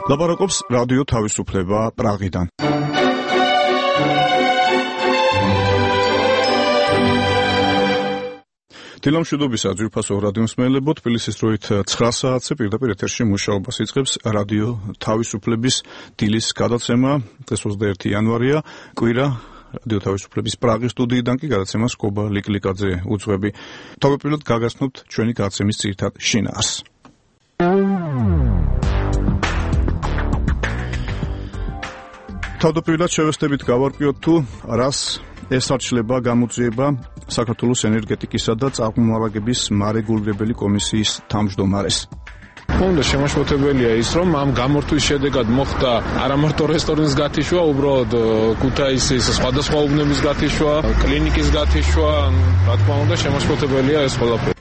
ლაპარაკობს რადიო თავისუფლება პრაღიდან. დილამშვიდობისა ძვირფასო რადიო მსმენელებო, თბილისის დროით 9 საათზე პირდაპირ ეთერში მუშაობას იწყებს რადიო თავისუფლების დილის გადაცემა. დღეს 21 იანვარია, კვირა. რადიო თავისუფლების პრაღის სტუდიიდან კი გადაცემას კობა ლიკლიკაძე უძღვები. თავდაპირველად გაგაცნობთ ჩვენი გადაცემის ძირითად შინაარსს. თავდაპირველად შევესწრებით გავარკვიოთ თუ რას ესარჩლება გამოძიება საქართველოს ენერგეტიკისა და წყალმომარაგების მარეგულირებელი კომისიის თავმჯდომარეს. უნდა შემაშფოთებელია ის, რომ ამ გამორთვის შედეგად მოხდა არა მარტო რესტორნის გათიშვა, უბრალოდ ქუთაისის სხვადასხვა უბნების გათიშვა, კლინიკის გათიშვა, რა თქმა უნდა შემაშფოთებელია ეს ყველაფერი.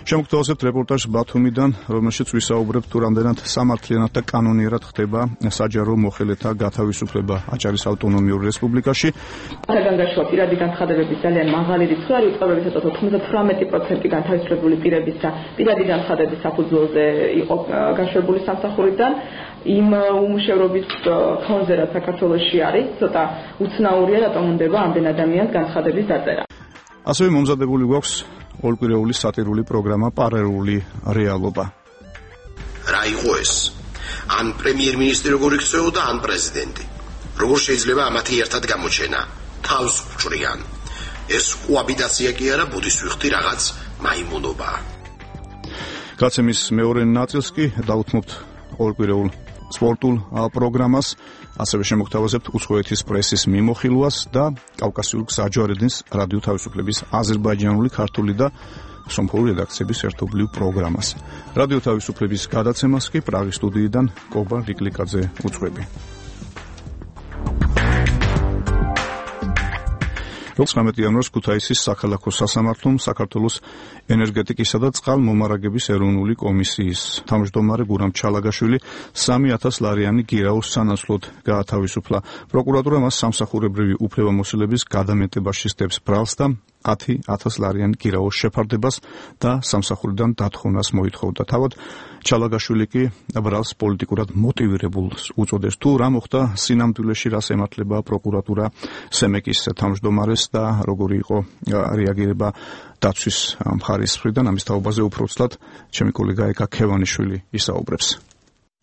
შემოგთავაზებთ რეპორტაჟს ბათუმიდან, რომელშიც ვისაუბრებთ თუ რამდენად სამართლიანად და კანონიერად ხდება საჯარო მოხელეთა გათავისუფლება აჭარის ავტონომიურ რესპუბლიკაში. საგანგაშოა პირადი განცხადებების ძალიან მაღალი რიცხვი არის, უწყებებისათვის 98% განთავისუფლებული პირებისა პირადი განცხადების საფუძველზე იყო გაშვებული სამსახურიდან. იმ უმუშევრობის ფონზე, რაც საქართველოში არის, ცოტა უცნაურია, რატომ უნდება ამდენ ადამიანს განცხადების დაწერა. ასევე მომზადებული გვაქვს ორკვირეული სატირული პროგრამა პარალელური რეალობა. რა იყო ეს? ან პრემიერ-მინისტრი როგორ იქცეოდა, ან პრეზიდენტი. როგორ შეიძლება ამათი ერთად გამოჩენა? თავს უჭრიან. ეს კოაბიტაცია კი არა, ბუდის ვიხდი რაღაც მაიმუნობაა. გაცემის მეორე ნაწილს კი დავუთმობთ ორკვირეულ სპორტულ პროგრამას, ასევე შემოგთავაზებთ უცხოეთის პრესის მიმოხილვას და კავკასიურ გზაჯვარედინს რადიო თავისუფლების აზერბაიჯანული, ქართული და სომხური რედაქციების ერთობლივ პროგრამას. რადიო თავისუფლების გადაცემას კი პრაღის სტუდიიდან კობა ლიკლიკაძე უძღვები. 19 იანვარს ქუთაისის საქალაქო სასამართლომ საქართველოს ენერგეტიკისა და წყალმომარაგების ეროვნული კომისიის თავმჯდომარე გურამ ჩალაგაშვილი 3,000 ლარიანი გირაოს სანაცვლოდ გაათავისუფლა. პროკურატურა მას სამსახურებრივი უფლებამოსილების გადამეტებაში სდებს ბრალს და 10,000 ლარიანი გირაოს შეფარდებას და სამსახურიდან დათხოვნას მოითხოვდა. თავად ჩალაგაშვილი კი ბრალს პოლიტიკურად მოტივირებულს უწოდეს. თუ რა მოხდა სინამდვილეში, რას ემართლება პროკურატურა სემეკის თავმჯდომარეს და როგორი იყო რეაგირება დაცვის მხარის მხრიდან, ამის თაობაზე უფრო ცლად ჩემი კოლეგა ეკა ქევანიშვილი ისაუბრებს.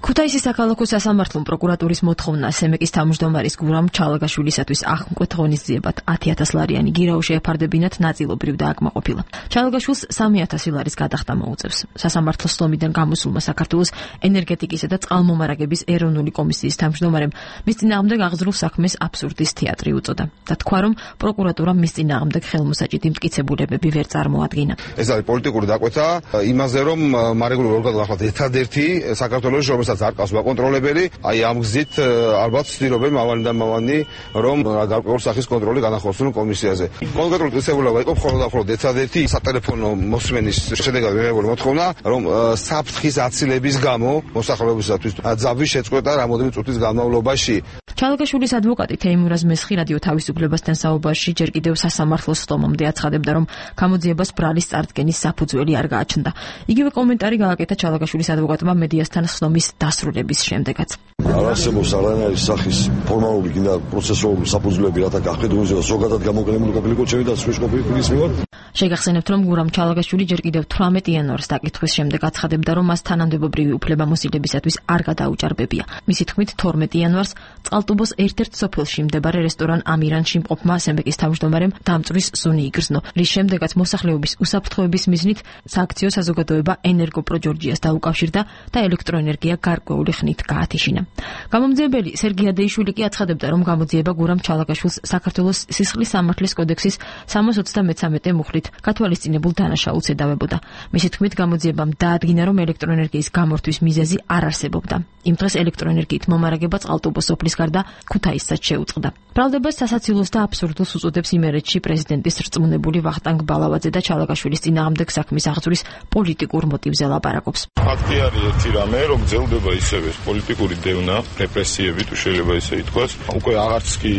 ქუთაისის საქალაქო სასამართლომ პროკურატურის მოთხოვნა სემეკის თავმჯდომარის გურამ ჩალაგაშვილისათვის აღმკვეთ ღონისძიებად 10,000 ლარიანი გირაო შეეფარდებინათ ნაწილობრივ დააკმაყოფილა. ჩალაგაშვილს 3,000 ლარის გადახდა მოუწევს. სასამართლოს სლომიდან გამოსულმა საქართველოს ენერგეტიკისა და წყალმომარაგების ეროვნული კომისიის თავმჯდომარემ მის წინააღმდეგ აღძრულ საქმეს აბსურდის თეატრი უწოდა და თქვა, რომ პროკურატურამ მის წინააღმდეგ ხელმოსაჭიდი მტკიცებულებები ვერ წარმოადგინა. ეს არის პოლიტიკური დაკვეთა იმაზე, რომ მარეგულირებულ ორგანოს ახლა ერთადერთი საქართველოს არ ყავს საკონტროლებელი, აი ამ გზით ალბათ ვცდილობენ მავანი რომ გარკვეულ სახის კონტროლი განახორციელონ კომისიაზე. კონკრეტულად წესებულება იყო მხოლოდ ერთადერთი სატელეფონო მოსმენის შედეგად მიღებული მოთხოვნა, რომ საფრთხის აცილების გამო მოსახლეობისათვის ძაბვის შეწყვეტა რამოდენიმე წუთის განმავლობაში. ჩალაგაშვილის ადვოკატი თეიმურაზ მესხი რადიო თავისუფლებასთან საუბარში ჯერ კიდევ სასამართლოს სტომამდე აცხადებდა, რომ გამოძიებას ბრალის წარდგენის საფუძველი არ გააჩნდა. იგივე კომენტარი გააკეთა ჩალაგაშვილის ადვოკატმა მედიასთან სხდომის დასრულების შემდეგაც. არ არსებობს არანაირი სახის ფორმალური და პროცესუალური საფუძვლები, რათა გახედულზე ზოგადად გამოყენებული ყოფილიყო ჩემი დაცვის ყოფილის მიმართ. შეგახსენებთ, რომ გურამ ჩალაგაშვილი ჯერ კიდევ 18 იანვარს დაკითხვის შემდეგ აცხადებდა, რომ მას თანამდებობრივი უფლებამოსილებისათვის არ გადაუჭარბებია. მისი თქმით, 12 იანვარს წყალტუბოს ერთ-ერთ სოფელში მდებარე რესტორან ამირანში მყოფმა სემეკის თავმჯდომარემ დამწვრის სუნი იგრძნო, რის შემდეგაც მოსახლეობის უსაფრთხოების მიზნით სააქციო საზოგადოება ენერგოპრო ჯორჯიას დაუკავშირდა და ელექტროენერგია გარკვეული ხნით გაათიშინა. გამომძიებელი სერგი ადეიშვილი კი აცხადებდა, რომ გამოძიება გურამ ჩალაგაშვილს საქართველოს სისხლის სამართლის კოდექსის 333 მუხლით გათვალისწინებულ დანაშაულს ედავებოდა. მისი თქმით, გამოძიებამ დაადგინა, რომ ელექტროენერგიის გამორთვის მიზეზი არ არსებობდა. იმ დღეს ელექტროენერგიით მომარაგება წყალტუბოს სოფლის გარდა და ქუთაისსაც შეუწყდა. ბრალდებას სასაცილოს და აბსურდულს უწოდებს იმერეთში პრეზიდენტის რწმუნებული ვახტანგ ბალავაძე და ჩალაგაშვილის წინააღმდეგ საქმის აღძვრის პოლიტიკურ მოტივზე ლაპარაკობს. ფაქტი არის ერთი რამე, რომ გრძელდება ისევე პოლიტიკური დევნა, რეპრესიები თუ შეიძლება ისე ითქვას. უკვე აღარც კი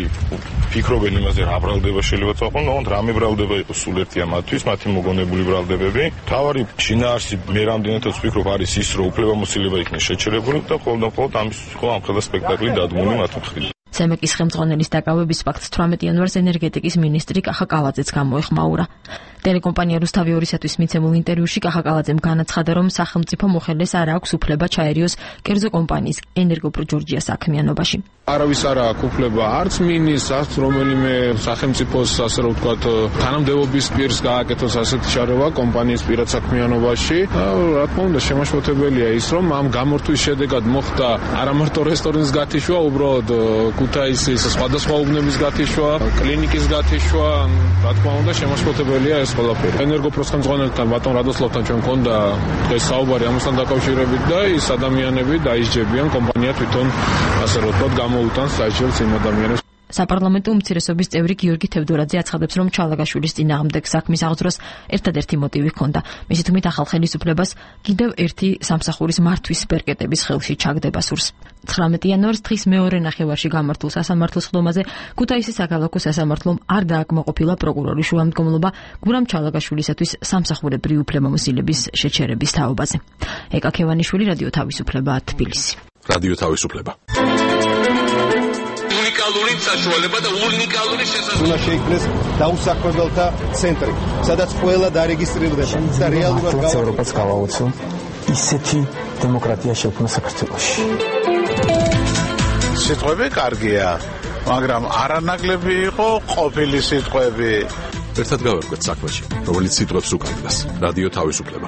ფიქრობენ იმაზე, რა ბრალდება შეიძლება წაყვან, მაგრამ რამე ბრალდება იყოს სულ ერთია მათთვის, მათი მოგონებული ბრალდებები. თავარი შინაარსი მე რამდენადაც ვფიქრობ არის ის, რომ უფლებამოსილება იქნება შეჩერებული და ყოველდღურად ამის ამ ხელა სპექტაკლი დადგმული მათ მხრიდან. CEMEC-ის ხელმძღვანელის დაკავების ფაქტს 18 იანვარს ენერგეტიკის მინისტრი კახა კალაძეც გამოეხმაურა. ტელეკომპანია რუსთავი 2-ისთვის მიცემულ ინტერვიუში კახა კალაძემ განაცხადა, რომ სახელმწიფო მოხელეს არ აქვს უფლება ჩაერიოს კერძო კომპანიის ენერგოპრო ჯორჯია საქმიანობაში. არავის არ აქვს უფლება არც მინის, არც რომელიმე სახელმწიფოს ასე რომ ვთქვათ თანამდებობის პირს გააკეთოს ასეთი შარევა კომპანიის პირად საქმიანობაში. რა თქმა უნდა შემაშფოთებელია ის, რომ ამ გამორთვის შედეგად მოხდა არა მარტო რესტორნის გათიშვა, უბრალოდ ქუთაისის სხვადასხვა უბნების გათიშვა, კლინიკის გათიშვა, რა თქმა უნდა შემაშფოთებელია ეს ყველაფერი. ენერგოპროს ხელმძღვანელთან ბატონ რადოსლავთან ჩვენ მქონდა დღეს საუბარი ამასთან დაკავშირებით და ის ადამიანები დაისჯებიან, კომპანია თვითონ ასე რომ ვთქვათ გამოუტანს საჭიროებს იმ ადამიანებს. საპარლამენტო უმცირესობის წევრი გიორგი თევდორაძე აცხადებს, რომ ჩალაგაშვილის წინააღმდეგ საქმის აღძვრას ერთადერთი მოტივი ჰქონდა. მისი თქმით, ახალ ხელისუფლებას კიდევ ერთი სამსახურის მართვის პერკეტების ხელში ჩაგდება სურს. 19 იანვარს დღის მეორე ნახევარში გამართულ სასამართლოს ხდომაზე ქუთაისის საქალაქო სასამართლომ არ დააკმაყოფილა პროკურორის შუამდგომლობა გურამ ჩალაგაშვილისათვის სამსახურებრივი უფლებამოსილების შეჩერების თაობაზე. ეკა ქევანიშვილი, რადიო თავისუფლება, თბილისი. რადიო თავისუფლება. უნიკალური საშუალება და უნიკალური შესაძლებლობა. უნდა შეიქმნეს დაუსაქმებელთა ცენტრი, სადაც ყველა დარეგისტრირდება და რეალურად ევროპას გავაოცო ისეთი დემოკრატია შექმნა საქართველოში. სიტყვები კარგია, მაგრამ არანაკლები იყო ყოფილი სიტყვები. ერთად გავერკვეთ საქმეში, რომელიც სიტყვებს უკავშირდება. რადიო თავისუფლება.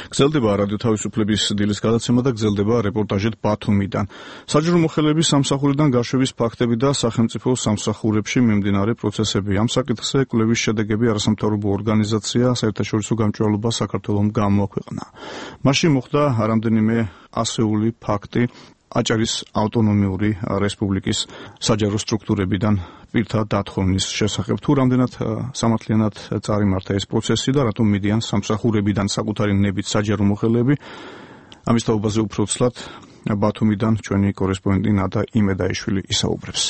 გრძელდება რადიო თავისუფლების დილის გადაცემა და გრძელდება რეპორტაჟით ბათუმიდან. საჯარო მოხელეების სამსახურიდან გაშვების ფაქტები და სახელმწიფო სამსახურებში მიმდინარე პროცესები. ამ საკითხზე კვლევის შედეგები არასამთავრობო ორგანიზაცია საერთაშორისო გამჭვირვალობა საქართველოს გამოაქვეყნა. მასში მოხდა რამდენიმე ასეული ფაქტი აჭარის ავტონომიური რესპუბლიკის საჯარო სტრუქტურებიდან პირთა დათხოვნის შესახებ. თუ რამდენად სამართლიანად წარიმართა ეს პროცესი და რატომ მიდიან სამსახურებიდან საკუთარი ნებით საჯარო მოხელეები, ამის თაობაზე უფრო ცლად ბათუმიდან ჩვენი კორესპონდენტი ნადა იმედაიშვილი ისაუბრებს.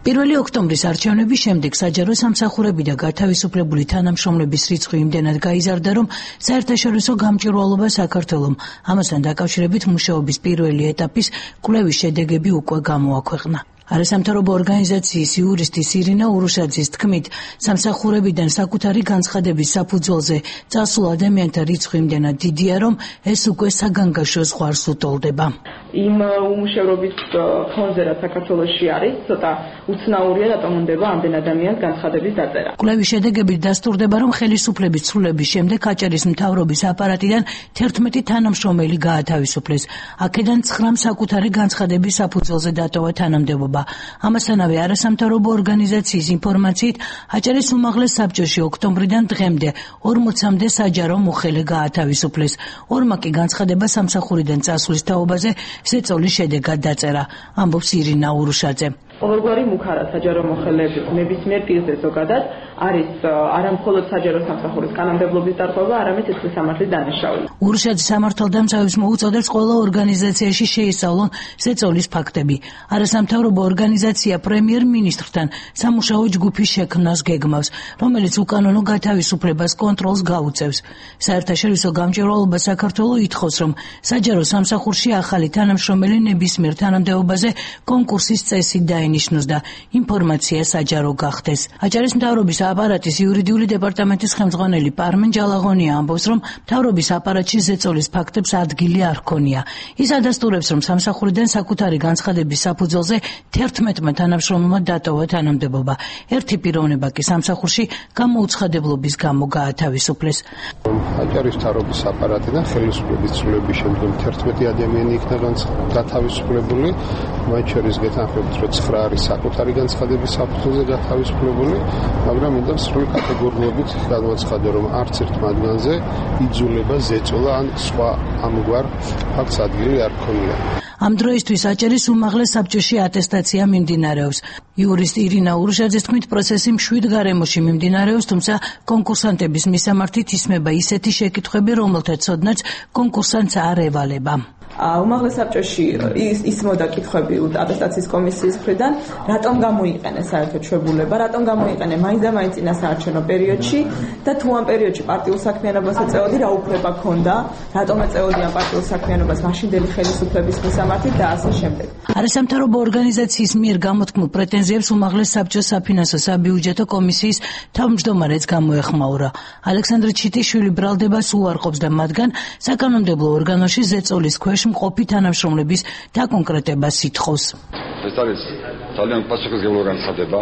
1 ოქტომბრის არჩევნების შემდეგ საჯარო სამსახურები და გათავისუფლებული თანამშრომლების რიცხვი იმდენად გაიზარდა, რომ საერთაშორისო გამჭვირვალობა საქართველოს ამასთან დაკავშირებით მუშაობის პირველი ეტაპის კვლევის შედეგები უკვე გამოაქვეყნა. არასამთავრობო ორგანიზაციის იურისტი ირინა ურუშაძის თქმით, სამსახურებიდან საკუთარი განცხადების საფუძველზე წასულ ადამიანთა რიცხვი იმდენად დიდია, რომ ეს უკვე საგანგაშო ზღვარს უტოლდება. იმ უმუშევრობის ფონზე, რაც საქართველოში არის, ცოტა უცნაურია, რატომ უნდება ამდენ ადამიანს განცხადების დაწერა. კვლევის შედეგებით დასტურდება, რომ ხელისუფლების ცვლილების შემდეგ აჭარის მთავრობის აპარატიდან 11 თანამშრომელი გაათავისუფლეს. აქედან 9 საკუთარი განცხადების საფუძველზე დატოვა თანამდებობა. ამასთანავე არასამთავრობო ორგანიზაციის ინფორმაციით აჭარის უმაღლეს საბჭოში ოქტომბრიდან დღემდე 40-მდე საჯარო მოხელე გაათავისუფლეს. 2 კი განცხადება სამსახურიდან წასვლის თაობაზე ზეწოლის შედეგად დაწერა, ამბობს ირინა ურუშაძე. ყოველგვარი მუქარა საჯარო მოხელეების ნებისმიერ პირზე ზოგადად არის არამხოლოდ საჯარო სამსახურის კანონმდებლობის დარღვევა, არამედ სიცხლის სამართლის დანაშაული. ურუშაძე სამართალდამცავებს მოუწოდებს ყველა ორგანიზაციაში შეისწავლონ ზეწოლის ფაქტები. არასამთავრობო ორგანიზაცია პრემიერ-მინისტრთან სამუშაო ჯგუფის შექმნას გეგმავს, რომელიც უკანონო გათავისუფლებას კონტროლს გაუწევს. საერთაშორისო გამჭვირვალობა საქართველოს ითხოვს, რომ საჯარო სამსახურში ახალი თანამშრომელი ნებისმიერ თანამდებობაზე კონკურსის წესით დაენიშნოს და ინფორმაცია საჯარო გახდეს. აჭარის მთავრობის აპარატის იურიდიული დეპარტამენტის ხელმძღვანელი პარმენ ჯალაღონია ამბობს, რომ მთავრობის აპარატში ზეწოლის ფაქტებს ადგილი არ ჰქონია. ის ადასტურებს, რომ სამსახურიდან საკუთარი განცხადების საფუძველზე 11 თანამშრომელმა დატოვა თანამდებობა. ერთი პიროვნება კი სამსახურში გამოუცხადებლობის გამო გაათავისუფლეს. აჭარის მთავრობის აპარატიდან ხელისუფლების ცვლილების შემდგომ 11 ადამიანი იქნა გათავისუფლებული. მათ შორის გეთანხმებით, რომ 9 არის საკუთარი განცხადების საფუძველზე გათავისუფლებული, მაგრამ მინდა სრული კატეგორიებით განვაცხადო, რომ არც ერთ მათგანზე იძულება ზეწოლა ან სხვა ამგვარ ფაქტს ადგილი არ ჰქონია. ამ დროისთვის აჭარის უმაღლეს საბჭოში ატესტაცია მიმდინარეობს. იურისტ ირინა ურუშაძის თქმით, პროცესი მშვიდ გარემოში მიმდინარეობს, თუმცა კონკურსანტების მისამართით ისმება ისეთი შეკითხვები, რომელთა ცოდნაც კონკურსანტს არ ევალება. უმაღლეს საბჭოში ისმოდა კითხვები ატესტაციის კომისიის მხრიდან, რატომ გამოიყენეს საერთოდ ჩვეულება, რატომ გამოიყენე მაინც და მაინც წინასაარჩევნო პერიოდში და თუ ამ პერიოდში პარტიულ საქმიანობას ეწეოდი, რა უფლება ქონდა, რატომ ეწეოდი ამ პარტიულ საქმიანობას მაშინდელი ხელისუფლების მისამართით და ასე შემდეგ. არასამთავრობო ორგანიზაციის მიერ გამოთქმულ პრეტენზიებს უმაღლეს საბჭოს საფინანსო საბიუჯეტო კომისიის თავმჯდომარეც გამოეხმაურა. ალექსანდრე ჩიტიშვილი ბრალდებას უარყოფს და მათგან საკანონმდებლო ორგანოში ზეწოლის ქვეშ მყოფი თანამშრომლების დაკონკრეტებას ითხოვს. ეს არის ძალიან პასუხისმგებლო განცხადება.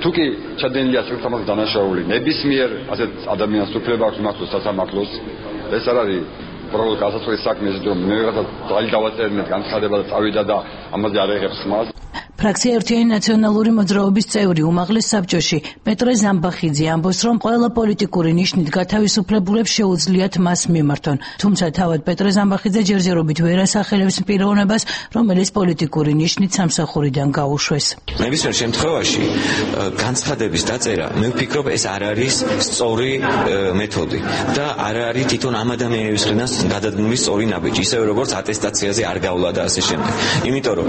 თუ კი ჩადენილია საკუთარ დანაშაული ნებისმიერ ასეთ ადამიანს უფლება აქვს მართოს სასამართლოს, ეს არ არის პროლოგ გასაწყვეტი საქმე, რომ მე ვიღაცა ძალი დავაწერნეთ განცხადება და წავიდა და ამაზე არ ეხებს ხმას. ფრაქცია ერთიანი ნაციონალური მოძრაობის წევრი უმაღლეს საბჭოში პეტრე ზამბახიძე ამბობს, რომ ყველა პოლიტიკური ნიშნით გათავისუფლებულებს შეუძლიათ მას მიმართონ. თუმცა თავად პეტრე ზამბახიძე ჯერჯერობით ვერ ასახელებს პიროვნებას, რომელიც პოლიტიკური ნიშნით სამსახურიდან გაუშვეს. ნებისმიერ შემთხვევაში განცხადების დაწერა, მე ვფიქრობ, ეს არ არის სწორი მეთოდი და არ არის თვითონ ამ ადამიანების მხრიდან გადადგმული სწორი ნაბიჯი, ისევე როგორც ატესტაციაზე არ გავლა და ასე შემდეგ. იმიტომ რომ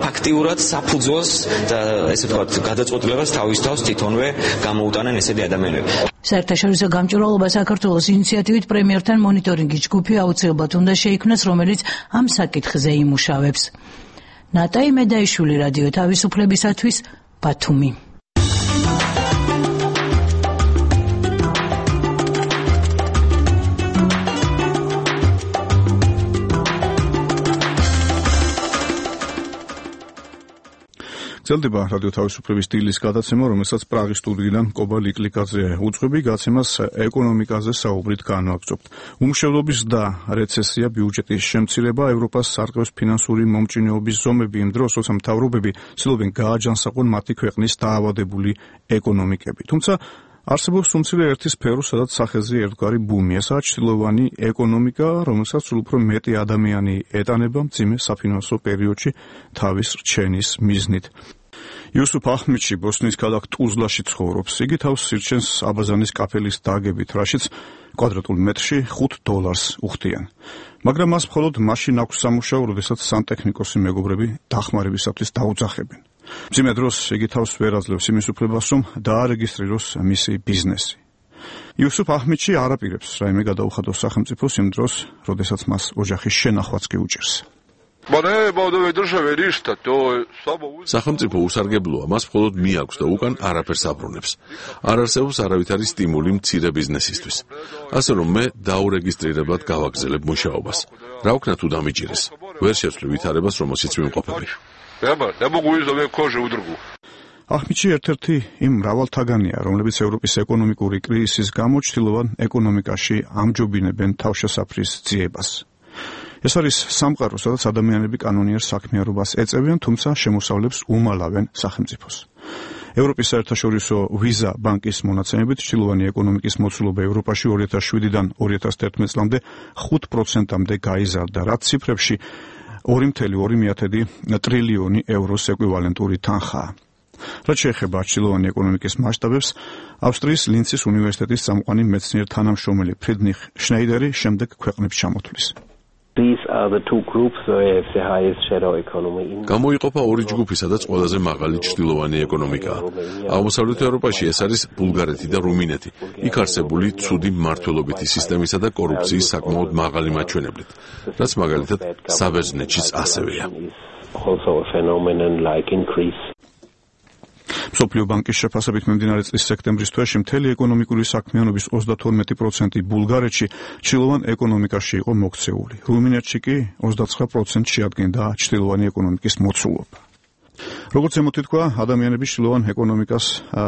ფაქტიურად საფუძველს და ესე ვთქვათ გადაწყვეტილებას თავის თავს თვითონვე გამოუტანენ ესეთი ადამიანები. საერთაშორისო გამჭვირვალობა საქართველოს ინიციატივით პრემიერთან მონიტორინგის ჯგუფი აუცილებლად უნდა შეიქმნას, რომელიც ამ საკითხზე იმუშავებს. ნატაი მედაიშვილი, რადიო თავისუფლებისათვის, ბათუმი. გრძელდება რადიო თავისუფლების დილის გადაცემა, რომელსაც პრაღის სტუდიიდან კობა ლიკლიკაძე უძღვები. გაცემას ეკონომიკაზე საუბრით განვაგრძობთ. უმშევრობის და რეცესია, ბიუჯეტის შემცირება, ევროპას სარყევს ფინანსური მომჭრინეობის ზომები იმ დროს, როცა მთავრობები ცდილობენ გააჯანსაღონ მათი ქვეყნის დაავადებული ეკონომიკები. თუმცა არსებობს უმცირე ერთი სფერო, სადაც სახეზე ერთგვარი ბუმია, სადაც ჩრდილოვანი ეკონომიკა, რომელსაც სულ უფრო მეტი ადამიანი ეტანება მძიმე საფინანსო პერიოდში თავის რჩენის მიზნით. იუსუფ ახმედში ბოსნიის ქალაქ ტუზლაში ცხოვრობს. იგი თავს სირჩენს აბაზანის კაფელის დაგებით, რაშიც კვადრატულ მეტრში $5 უხდიან. მაგრამ მას მხოლოდ მაშინ აქვს სამუშაო, როდესაც სანტექნიკოსი მეგობრები დახმარებისათვის დაუძახებენ. მძიმე დროს იგი თავს ვერ აძლევს იმის უფლებას, რომ დაარეგისტრიროს მისი ბიზნესი. იუსუფ ახმედში არ აპირებს რაიმე გადაუხადოს სახელმწიფოს იმ დროს, როდესაც მას ოჯახის შენახვაც კი უჭირს. სახელმწიფო უსარგებლოა, მას მხოლოდ მიაქვს და უკან არაფერს აბრუნებს. არ არსებობს არავითარი სტიმული მცირე ბიზნესისთვის. ასე რომ მე დაურეგისტრირებლად გავაგზელებ მუშაობას. რა ვქნა თუ დამიჭირეს? ვერ შეცვლი ვითარებას, რომელშიც ვიმყოფები. ახმედში ერთ-ერთი იმ მრავალთაგანია, რომლებიც ევროპის ეკონომიკური კრიზისის გამო ჩრდილოვან ეკონომიკაში ამჯობინებენ თავშესაფრის ძიებას. ეს არის სამყარო, სადაც ადამიანები კანონიერ საქმიანობას ეწევიან, თუმცა შემოსავლებს უმალავენ სახელმწიფოს. ევროპის საერთაშორისო ვიზა ბანკის მონაცემებით ჩრდილოვანი ეკონომიკის მოცულობა ევროპაში 2007-დან 2011 წლამდე 5%-მდე გაიზარდა, რაც ციფრებში 2,2 ტრილიონი ევროს ეკვივალენტური თანხაა. რაც შეეხება ჩრდილოვანი ეკონომიკის მასშტაბებს, ავსტრიის ლინცის უნივერსიტეტის წამყვანი მეცნიერ თანამშრომელი ფრიდრიხ შნაიდერი შემდეგ ქვეყნებს ჩამოთვლის. გამოიყოფა ორი ჯგუფი, სადაც ყველაზე მაღალი ჩრდილოვანი ეკონომიკაა. აღმოსავლეთ ევროპაში ეს არის ბულგარეთი და რუმინეთი. იქ არსებული ცუდი მმართველობითი სისტემისა და კორუფციის საკმაოდ მაღალი მაჩვენებლით, რაც მაგალითად საბერძნეთშიც ასევეა. მსოფლიო ბანკის შეფასებით მიმდინარე წლის სექტემბრის თვეში მთელი ეკონომიკური საქმიანობის 32% ბულგარეთში ჩრდილოვან ეკონომიკაში იყო მოქცეული. რუმინეთში კი 29% შეადგენდა ჩრდილოვანი ეკონომიკის მოცულობა. როგორც ემოთი თქვა, ადამიანები შილოვან ეკონომიკას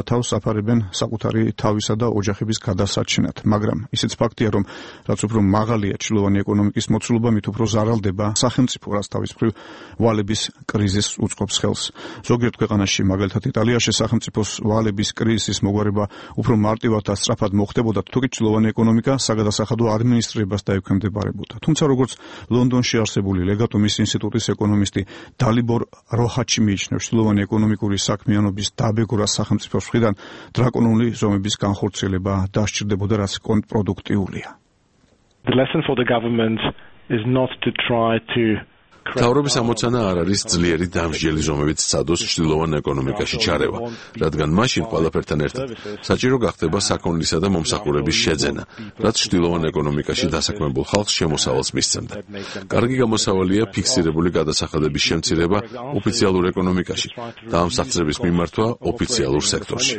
თავს აფარებენ საკუთარი თავისა და ოჯახების გადასარჩენად, მაგრამ ისიც ფაქტია, რომ რაც უფრო მაღალია შილოვანი ეკონომიკის მოცულობა, მით უფრო ზარალდება სახელმწიფო, რაც თავის მხრივ ვალების კრიზისს უწყობს ხელს. ზოგიერთ ქვეყანაში, მაგალითად იტალიაში, სახელმწიფოს ვალების კრიზისის მოგვარება უფრო მარტივად და სწრაფად მოხდებოდა, თუკი შილოვანი ეკონომიკა საგადასახადო ადმინისტრირებას დაექვემდებარებოდა. თუმცა როგორც ლონდონში არსებული ლეგატუმის ინსტიტუტის ეკონომისტი დალიბორ როჰაჩი მიიჩნევს, შილოვანი ეკონომიკური საქმიანობის დაბეგრვა სახელმწიფოს მხრიდან დრაკონული ზომების განხორციელება დასჭირდებოდა, რაც კონტრპროდუქტიულია. The lesson for the government is not to try to მთავრობის ამოცანა არ არის ძლიერი დამსჯელი ზომებით სცადოს ჩრდილოვან ეკონომიკაში ჩარევა, რადგან მაშინ ყველაფერთან ერთად საჭირო გახდება საქონლისა და მომსახურების შეძენა, რაც ჩრდილოვან ეკონომიკაში დასაქმებულ ხალხს შემოსავალს მისცემდა. კარგი გამოსავალია ფიქსირებული გადასახადების შემცირება ოფიციალურ ეკონომიკაში და ამ აღწევების მიმართვა ოფიციალურ სექტორში.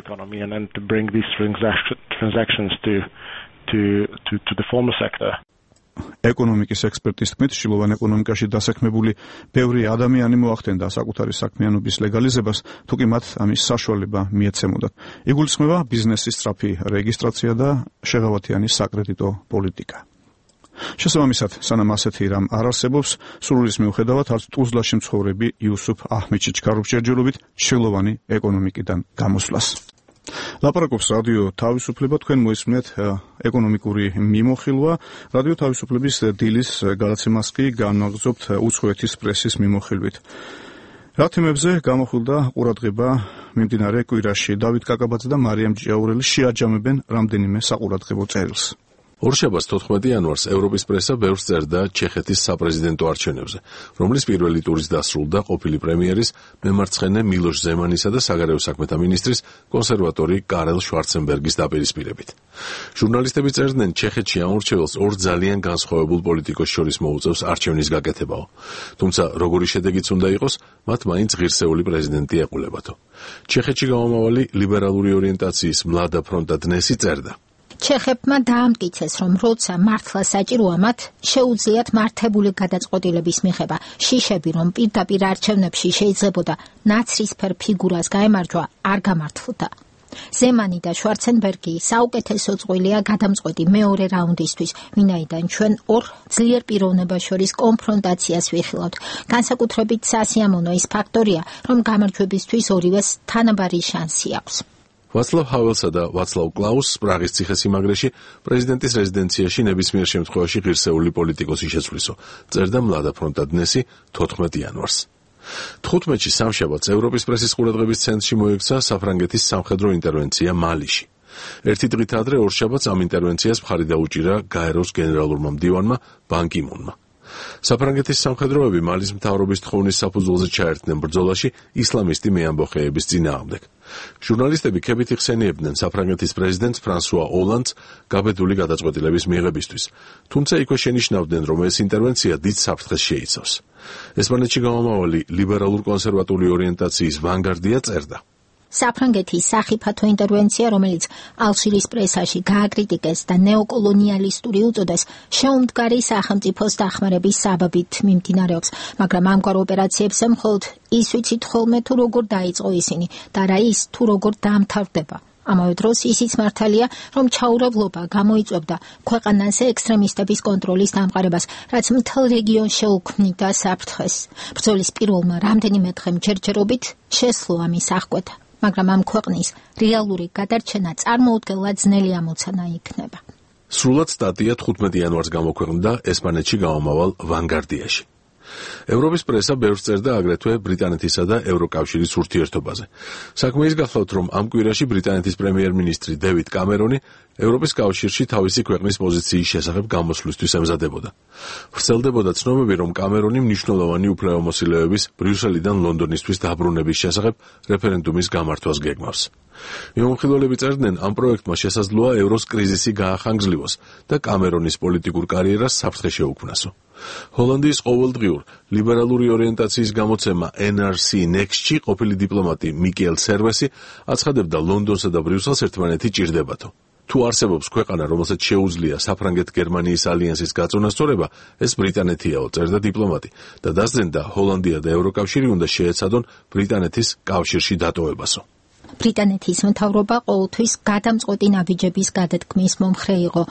To the former sector. ეკონომიკის ექსპერტის თქმით, შილოვან ეკონომიკაში დასაქმებული ბევრი ადამიანი მოახდენდა საკუთარი საქმიანობის ლეგალიზებას, თუკი მათ ამის საშუალება მიეცემოდათ. იგულისხმება ბიზნესის სწრაფი რეგისტრაცია და შეღავათიანი საკრედიტო პოლიტიკა. შესაბამისად, სანამ ასეთი რამ არ არსებობს, სრულის მიუხედავად, არც ტუზლაში მცხოვრები იუსუფ აჰმედში ჩქარობს ჯერჯერობით შილოვანი ეკონომიკიდან გამოსვლას. ლაპარაკობს რადიო თავისუფლება, თქვენ მოისმენთ ეკონომიკური მიმოხილვა. რადიო თავისუფლების დილის გადაცემას კი განაგრძობთ უცხოეთის პრესის მიმოხილვით. რა თემებზე გამოხილდა ყურადღება მიმდინარე კვირაში? დავით კაკაბაძე და მარიამ ჭიაურელი შეაჯამებენ რამდენიმე საყურადღებო წერილს. ორშაბათს 14 იანვარს ევროპის პრესა ბევრს წერდა ჩეხეთის საპრეზიდენტო არჩევნებზე, რომლის პირველი ტურის დასრულდა ყოფილი პრემიერის მემარცხენე მილოშ ზემანისა და საგარეო საქმეთა მინისტრის კონსერვატორი კარელ შვარცენბერგის დაპირისპირებით. ჟურნალისტები წერდნენ, ჩეხეთში ამ მრჩეველს ორ ძალიან განსხვავებულ პოლიტიკოს შორის მოუწევს არჩევნის გაკეთებაო. თუმცა როგორი შედეგიც უნდა იყოს, მათ მაინც ღირსეული პრეზიდენტი ეყოლებათო. ჩეხეთში გამომავალი ლიბერალური ორიენტაციის მლადა ფრონტა დნესი წერდა. ჩეხებმა დაამტკიცეს, რომ როცა მართლა საჭიროა მათ, შეუძლიათ მართებული გადაწყვეტილების მიღება. შიშები, რომ პირდაპირ არჩევნებში შეიძლებოდა ნაცრისფერ ფიგურას გაემარჯვა, არ გამართლდა. ზემანი და შვარცენბერგი საუკეთესო წვლილია გადამწყვეტი მეორე რაუნდისთვის, ვინაიდან ჩვენ ორ ძლიერ პიროვნებას შორის კონფრონტაციას ვიხილავთ. განსაკუთრებით სასიამოვნო ის ფაქტორია, რომ გამარჯვებისთვის ორივეს თანაბარი შანსი აქვს. ვაცლავ ჰაველსა და ვაცლავ კლაუსს პრაღის ციხესიმაგრეში პრეზიდენტის რეზიდენციაში ნებისმიერ შემთხვევაში ღირსეული პოლიტიკოსი შეცვლისო, წერდა მლადა ფრონტა დნესი 14 იანვარს. 15-ში სამშაბათს ევროპის პრესის ყურადღების ცენტრში მოექცა საფრანგეთის სამხედრო ინტერვენცია მალიში. ერთი დღით ადრე ორშაბათს ამ ინტერვენციას მხარი დაუჭირა გაეროს გენერალურმა მდივანმა ბან კი მუნმა. საფრანგეთის სამხედროები მალის მთავრობის თხოვნის საფუძველზე ჩაერთნენ ბრძოლაში ისლამისტი მეამბოხეების წინააღმდეგ. ჟურნალისტები ქებით იხსენიებდნენ საფრანგეთის პრეზიდენტს ფრანსუა ოლანდს გაბედული გადაწყვეტილების მიღებისთვის, თუმცა იქვე შენიშნავდნენ, რომ ეს ინტერვენცია დიდ საფრთხეს შეიცავს. ესპანეთში გამომავალი ლიბერალურ-კონსერვატული ორიენტაციის ვანგარდია წერდა. საფრანგეთის სახიფათო ინტერვენცია, რომელიც ალჟირის პრესაში გააკრიტიკეს და ნეოკოლონიალისტური უწოდეს, შეუმდგარი სახელმწიფოს დახმარების საბაბით მიმდინარეობს, მაგრამ ამგვარ ოპერაციებს მხოლოდ ის ვიცით ხოლმე თუ როგორ დაიწყო ისინი და რა ის თუ როგორ დაამთავრდება. ამავე დროს ისიც მართალია, რომ ჩაურევლობა გამოიწვევდა ქვეყანაზე ექსტრემისტების კონტროლის დამყარებას, რაც მთელ რეგიონს შეუქმნიდა საფრთხეს. ბრძოლის პირველმა რამდენიმე დღემ ჯერჯერობით შესძლო ამის აღკვეთა. მაგრამ ამ ქვეყნის რეალური გადარჩენა წარმოუდგენლად ძნელი ამოცანა იქნება. სრულად სტატია 15 იანვარს გამოქვეყნდა ესპანეთში გამომავალ ვანგარდიაში. ევროპის პრესა ბევრს წერდა აგრეთვე ბრიტანეთისა და ევროკავშირის ურთიერთობაზე. საქმე ის გახლავთ, რომ ამ კვირაში ბრიტანეთის პრემიერ-მინისტრი დევიდ კამერონი ევროპის კავშირში თავისი ქვეყნის პოზიციის შესახებ გამოსვლისთვის ემზადებოდა. ვრცელდებოდა ცნობები, რომ კამერონი მნიშვნელოვანი უფლებამოსილეების ბრიუსელიდან ლონდონისთვის დაბრუნების შესახებ რეფერენდუმის გამართვას გეგმავს. მიმოხილველები წერდნენ, ამ პროექტმა შესაძლოა ევროს კრიზისი გაახანგრძლივოს და კამერონის პოლიტიკურ კარიერას საფრთხე შეუქმნასო. ჰოლანდიის ყოველდღიურ ლიბერალური ორიენტაციის გამოცემა NRC Next-ში ყოფილი დიპლომატი მიკელ სერვესი აცხადებდა ლონდონსა და ბრიუსელს ერთმანეთი ჭირდებათო. თუ არსებობს ქვეყანა, რომელსაც შეუძლია საფრანგეთ-გერმანიის ალიანსის გაწონასწორება, ეს ბრიტანეთიაო, წერდა დიპლომატი და დასძენდა ჰოლანდია და ევროკავშირი უნდა შეეცადონ ბრიტანეთის კავშირში დატოვებასო. ბრიტანეთის მთავრობა ყოველთვის გადამწყვეტი ნაბიჯების გადადგმის მომხრე იყო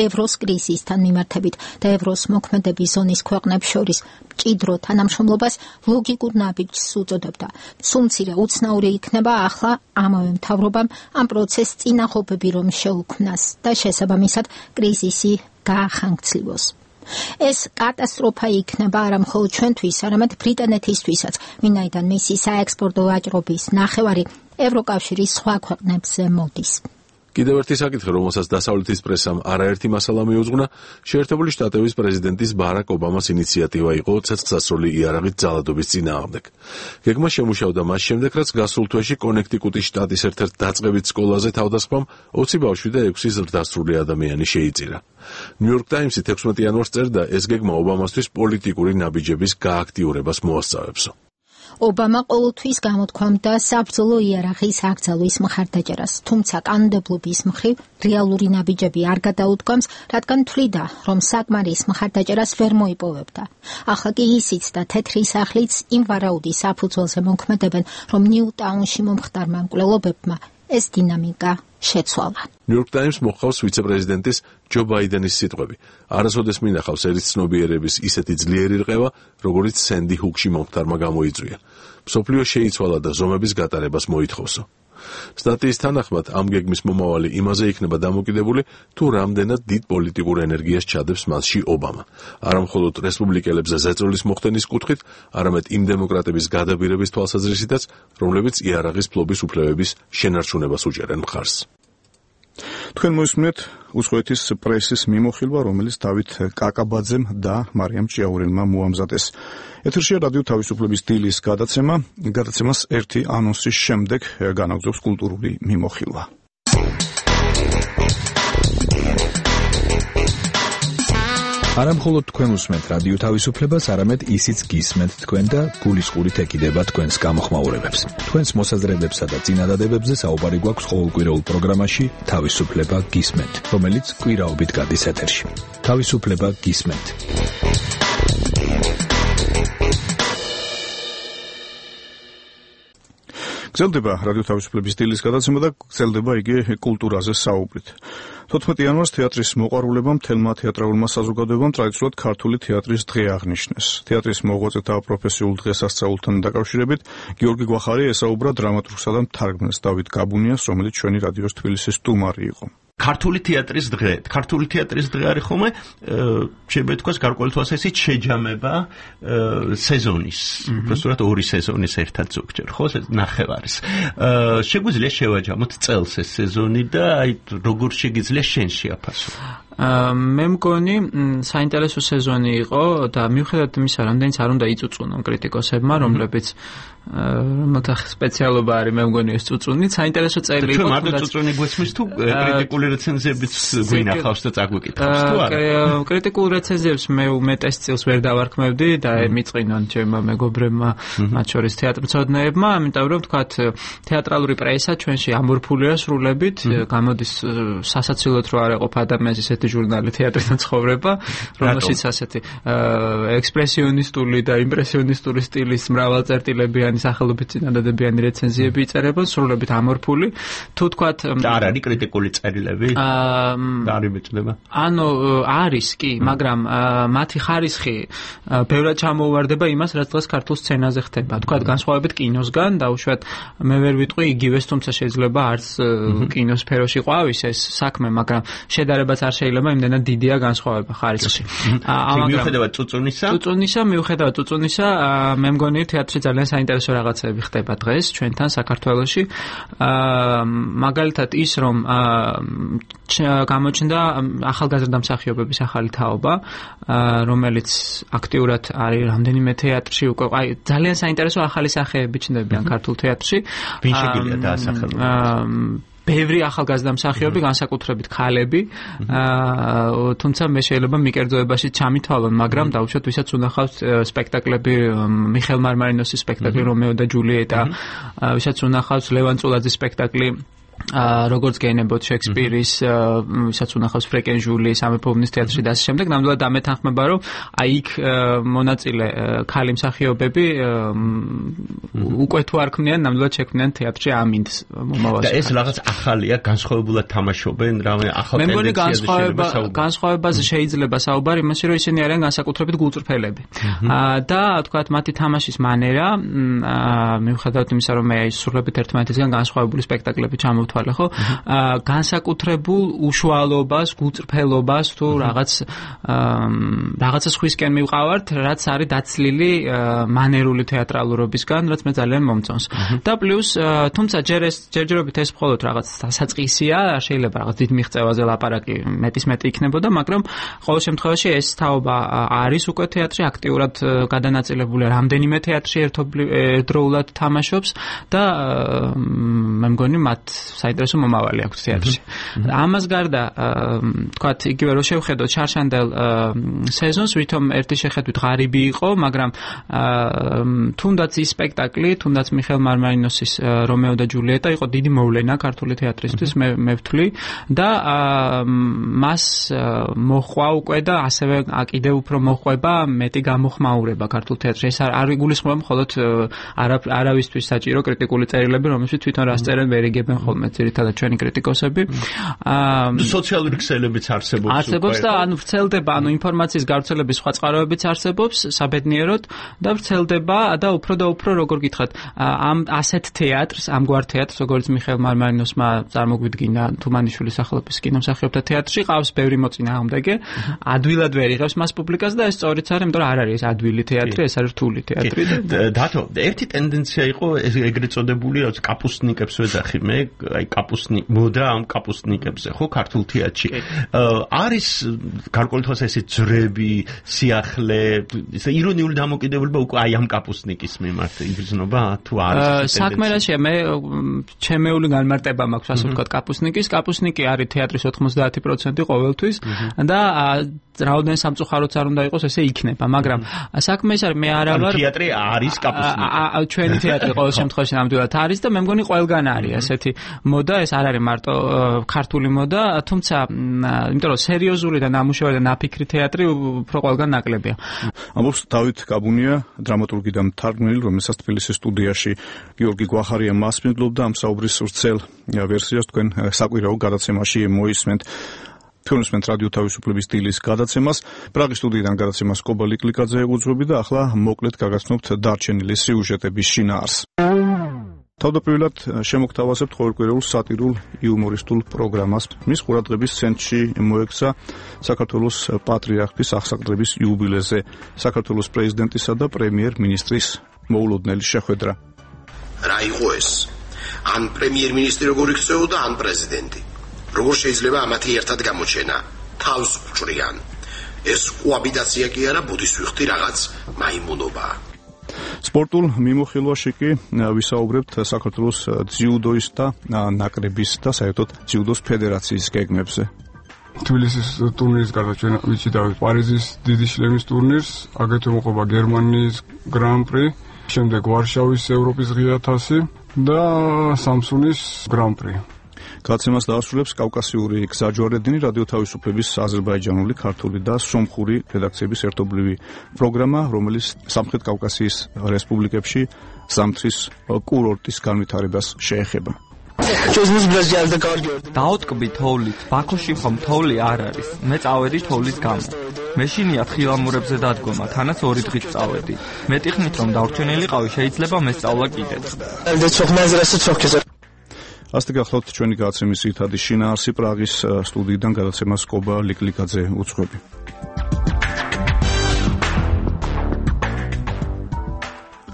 ევროს კრიზისთან მიმართებით და ევროს მოქმედების ზონის ქვეყნებს შორის მჭიდრო თანამშრომლობას ლოგიკურ ნაბიჯს უწოდებდა. სულ მცირე უცნაური იქნება ახლა ამავე მთავრობამ ამ პროცესს წინახობები რომ შეუქმნას და შესაბამისად კრიზისი გაახანგცლივოს. ეს კატასტროფა იქნება არა მხოლოდ ჩვენთვის, არამედ ბრიტანეთისთვისაც, ვინაიდან მისი საექსპორტო ვაჭრობის ნახევარი ევროკავშირის სხვა ქვეყნებზე მოდის. კიდევ ერთი საკითხი, რომელსაც დასავლეთის პრესამ არაერთი მასალა მიუძღვნა, შეერთებული შტატების პრეზიდენტის ბარაკ ობამას ინიციატივა იყო ცეცხლსასროლი იარაღით ძალადობის წინააღმდეგ. გეგმა შემუშავდა მას შემდეგ, რაც გასულ თვეში კონექტიკუტის შტატის ერთ-ერთ დაწყებით სკოლაზე თავდასხმამ 20 ბავშვი და 6 ზრდასრული ადამიანი შეიწირა. ნიუ-იორკ ტაიმსი 16 იანვარს წერდა, ეს გეგმა ობამასთვის პოლიტიკური ნაბიჯების გააქტიურებას მოასწავებსო. ობამა ყოველთვის გამოთქვამდა საბრძოლო იარაღის აკრძალვის მხარდაჭერას, თუმცა კანონმდებლობის მხრივ რეალური ნაბიჯები არ გადაუდგამს, რადგან თვლიდა, რომ საკმარის მხარდაჭერას ვერ მოიპოვებდა. ახლა კი ისიც და თეთრი სახლიც იმ ვარაუდის საფუძველზე მოქმედებენ, რომ ნიუ-ტაუნში მომხდარმა მკვლელობებმა ეს დინამიკა შეცვალა. ნიუ-იორკ ტაიმს მოჰყავს ვიცე-პრეზიდენტის ჯო ბაიდენის სიტყვები. არასოდეს მინახავს ერის ცნობიერების ისეთი ძლიერი რყევა, როგორიც სენდი ჰუკში მომხდარმა გამოიწვია. მსოფლიო შეიცვალა და ზომების გატარებას მოითხოვსო. სტატიის თანახმად ამ გეგმის მომავალი იმაზე იქნება დამოკიდებული, თუ რამდენად დიდ პოლიტიკურ ენერგიას ჩადებს მასში ობამა. არა მხოლოდ რესპუბლიკელებზე ზეწოლის მოხდენის კუთხით, არამედ იმ დემოკრატების გადაბირების თვალსაზრისითაც, რომლებიც იარაღის ფლობის უფლებების შენარჩუნებას უჭერენ მხარს. თქვენ მოისმენთ უცხოეთის პრესის მიმოხილვა, რომელიც დავით კაკაბაძემ და მარიამ ჭიაურელმა მოამზადეს. ეთერშია რადიო თავისუფლების დილის გადაცემას ერთი ანონსის შემდეგ განაგრძობს კულტურული მიმოხილვა. არა მხოლოდ თქვენ უსმენთ რადიო თავისუფლებას, არამედ ისიც გისმენთ თქვენ და გულისყურით ეკიდება თქვენს გამოხმაურებებს. თქვენს მოსაზრებებსა და წინადადებებზე საუბარი გვაქვს ყოველკვირეულ პროგრამაში თავისუფლება გისმენთ, რომელიც კვირაობით გადის ეთერში. თავისუფლება გისმენთ. გრძელდება რადიო თავისუფლების დილის გადაცემა და გრძელდება იგი კულტურაზე საუბრით. 14 იანვარს თეატრის მოყვარულებამ თელმა თეატრალურმა საზოგადოებამ ტრადიციულად ქართული თეატრის დღე აღნიშნეს. თეატრის მოღვაწეთა პროფესიულ დღესასწაულთან დაკავშირებით გიორგი გვახარი ესაუბრა დრამატურგსა და მთარგმნელს დავით გაბუნიას, რომელიც ჩვენი რადიოს თბილისის სტუმარი იყო. ქართული თეატრის დღე. ქართული თეატრის დღე არის ხოლმე შეიძლება ითქვას გარკვეული თვალსაზრისით შეჯამება სეზონის. უბრალოდ ორი სეზონის ერთად ზოგჯერ, ხო, ნახევარის. შეგვიძლია შევაჯამოთ წელს ეს სეზონი და აი როგორ შეგიძლია შენ შეაფასო. მე მგონი საინტერესო სეზონი იყო და მიუხედავად იმისა, რამდენიც არ უნდა იწუწუნონ კრიტიკოსებმა, რომლებიც რომელთა სპეციალობა არის, მე მგონი ეს წუწუნი, საინტერესო წელი იყო. თუ მარტო წუწუნი გვესმის თუ კრიტიკული რეცენზიებიც გვინახავს და წაგვიკითხავს თუ არა? კრიტიკულ რეცენზიებს მე უმეტეს წილს ვერ დავარქმევდი და მიწყინონ ჩემმა მეგობრებმა, მათ შორის თეატრმცოდნეებმა, ამიტომ რომ ვთქვათ, თეატრალური პრესა ჩვენში ამორფულია სრულებით, გამოდის სასაცილოდ რო არ ეყოფ ადამიანს ესეთი ჟურნალი თეატრიდან ცხოვრება, რომელშიც ასეთი ექსპრესიონისტული და იმპრესიონისტური სტილის მრავალწერტილებიანი სახელობით წინადადებიანი რეცენზიები იწერება, სრულებით ამორფული. თუ თქვათ არ არის კრიტიკული წერილები? არ იმეწდება. ანუ არის კი, მაგრამ მათი ხარისხი ბევრად ჩამოუვარდება იმას, რაც დღეს ქართულ სცენაზე ხდება. თქვათ განსხვავებით კინოსგან, დაუშვათ მე ვერ ვიტყვი იგივეს, თუმცა შეიძლება არც კინოსფეროში ყვავის ეს საქმე, მაგრამ შედარებაც არ შეიძლება იმდენად დიდია განსხვავება ხარისხში. მიუხედავად წუწუნისა, მე მგონი თეატრში ძალიან საინტერესო რაღაცები ხდება დღეს ჩვენთან საქართველოში. მაგალითად ის, რომ გამოჩნდა ახალგაზრდა მსახიობების ახალი თაობა, რომელიც აქტიურად არის რამდენიმე თეატრში უკვე, აი ძალიან საინტერესო ახალი სახეები ჩნდებიან ქართულ თეატრში. ვინ შეგიძლია დაასახელოს? ბევრი ახალგაზრდა მსახიობი, განსაკუთრებით ქალები, თუმცა მე შეიძლება მიკერძოებაში ჩამითვალონ, მაგრამ დაუშვათ ვისაც უნახავს სპექტაკლები, მიხელ მარმარინოსის სპექტაკლი რომეო და ჯულიეტა, ვისაც უნახავს ლევან წულაძის სპექტაკლი როგორც გენებოთ შექსპირის, ვისაც უნახავს ფრეკენჟული, სამეფოუბნის თეატრი და ასე შემდეგ, ნამდვილად ამეთანხმება, რომ აი იქ მონაწილე ქალი მსახიობები უკვე თუ არ ქმნიან, ნამდვილად შექმნიან თეატრში ამინდს მომავალში. და ეს რაღაც ახალია, განსხვავებულად თამაშობენ, რამე ახალ ტენდენციაზე შეიძლება საუბარი. განსხვავებაზე შეიძლება საუბარი იმაში, რომ ისინი არიან განსაკუთრებით გულწრფელები. და თქვათ მათი თამაშის მანერა, მიუხედავად იმისა, რომ მე სრულებით ერთმანეთისგან განსხვავებული სპექტაკლები ჩამოვთვალე, ხო? განსაკუთრებულ უშუალობას, გულწრფელობას თუ რაღაცა სხვისკენ მივყავართ, რაც არის დაცლილი მანერული თეატრალურობისგან, რაც მე ძალიან მომწონს. და პლუს, თუმცა ჯერჯერობით ეს მხოლოდ რაღაც დასაწყისია, შეიძლება რაღაც დიდ მიღწევაზე ლაპარაკი მეტი იქნებოდა, მაგრამ ყოველ შემთხვევაში ეს თაობა არის უკვე თეატრი, აქტიურად გადანაწილებული რამდენიმე თეატრში ერთდროულად თამაშობს და მე მგონი მათ საინტერესო მომავალი აქვს თეატრში. ამას გარდა, თქვათ, იგივე რომ შევხედოთ შარშანდელ სეზონს, ვითომ ერთი შეხედვით ღარიბი იყო, მაგრამ თუნდაც ის სპექტაკლი, თუნდაც მიხეილ მარმარინოსის რომეო და ჯულიეტა იყო დიდი მოვლენა ქართული თეატრისთვის, მე ვთვლი და მას მოხვა უკვე და ასევე კიდევ უფრო მოხვება მეტი გამოხმაურება ქართულ თეატრში. ეს არ იგულისხმება მხოლოდ არავისთვის საჭირო კრიტიკული წერილები, რომელშიც თვითონ რას წერენ ვერ იგებენ ხოლმე ძირითადად ჩვენი კრიტიკოსები. სოციალური ქსელებიც არსებობს და ანუ ვრცელდება, ანუ ინფორმაციის გავრცელების სხვა წყაროებიც არსებობს საბედნიეროდ და ვრცელდება და უფრო როგორ გითხრათ, ამ ასეთ თეატრს, ამგვარ თეატრს, როგორც მიხეილ მარმარინოსმა წარმოგვიდგინა თუმანიშვილის სახელობის კინომსახიობთა თეატრში, ყავს ბევრი მოწინააღმდეგე, ადვილად ვერ იღებს მას პუბლიკას და ეს სწორიც არის, იმიტომ რომ არ არის ეს ადვილი თეატრი, ეს არის რთული თეატრი. დათო, ერთი ტენდენცია იყო ეგრეთ წოდებული კაპუსტნიკებს ვეძახი მე, აი მოდა ამ კაპუსტნიკებზე, ხო, ქართულ თეატრში. არის გარკვეული თვალსაზრისით ძრები, სიახლე, ისე ირონიული დამოკიდებულება უკვე აი ამ კაპუსტნიკის მიმართ იგრძნობა თუ არის საქმე რაშია, მე ჩემეული განმარტება მაქვს, ასე ვთქვათ, კაპუსტნიკის. კაპუსტნიკი არის თეატრის 90% ყოველთვის და რაოდენ სამწუხაროც არ უნდა იყოს, ესე იქნება, მაგრამ საქმე ის არის, მე არა ვარ თეატრი არის კაპუსტნიკი. ჩვენი თეატრი ყოველ შემთხვევაში ნამდვილად არის და მე მგონი ყველგან არის ესეთი მოდა, ეს არ არის მარტო ქართული მოდა, თუმცა იმიტომ რომ სერიოზული და ნამუშევარი და ნაფიქრი თეატრი უფრო ყველგან ნაკლებია. ამბობს დავით კაბუნია, დრამატურგი და მთარგმნელი, რომელსაც თბილისის სტუდიაში გიორგი გვახარია მასპინძლობდა ამ საუბრის ვრცელ ვერსიას თქვენ საკვირაო გადაცემაში მოისმენთ. ფილმსმენთ რადიო თავისუფლების დილის გადაცემას, პრაღის სტუდიიდან გადაცემას კობა ლიკლიკაძე უძღვები და ახლა მოკლედ გაგაცნობთ დარჩენილი სიუჟეტების შინაარს. თავდაპირველად შემოგთავაზებთ ყოველკვირეულ სატირულ იუმორისტულ პროგრამას. მის ყურადღების ცენტრში მოექცა საქართველოს პატრიარქის აღსაყდრების იუბილეზე საქართველოს პრეზიდენტისა და პრემიერ-მინისტრის მოულოდნელი შეხვედრა. რა იყო ეს? ან პრემიერ-მინისტრი როგორ იქცეოდა, ან პრეზიდენტი. როგორ შეიძლება ამათი ერთად გამოჩენა? თავს უჭრიან. ეს კოაბიტაცია კი არა, ბუდისვიხთი რაღაც მაიმუნობაა. სპორტულ მიმოხილვაში კი ვისაუბრებთ საქართველოს ძიუდოისტთა ნაკრების და საერთოდ ძიუდოს ფედერაციის გეგმებზე. თბილისის ტურნირის გარდა ჩვენ ვიცით პარიზის დიდი შლემის ტურნირს, აგრეთვე მოყვება გერმანიის გრან-პრი, შემდეგ ვარშავის ევროპის ღია თასი და სამსუნის გრან-პრი. გადაცემას დაასრულებს კავკასიური გზაჯვარედინი, რადიო თავისუფლების აზერბაიჯანული, ქართული და სომხური რედაქციების ერთობლივი პროგრამა, რომელიც სამხრეთ კავკასიის რესპუბლიკებში ზამთრის კურორტის განვითარებას შეეხება. დაუტკბი თოვლით, ბაქოში ხომ თოვლი არ არის. მე წავედი თოვლის გამო. მე შინია თხილამურებზე დადგომა, თანაც 2 დღით წავედი. მეტი ხნით რომ დავრჩენილიყავი, შეიძლება მესწავლა კიდეც. ასეთი გახლავთ ჩვენი გადაცემის ძირითადი შინაარსი, პრაღის სტუდიიდან გადაცემას კობა ლიკლიკაძე უძღვები.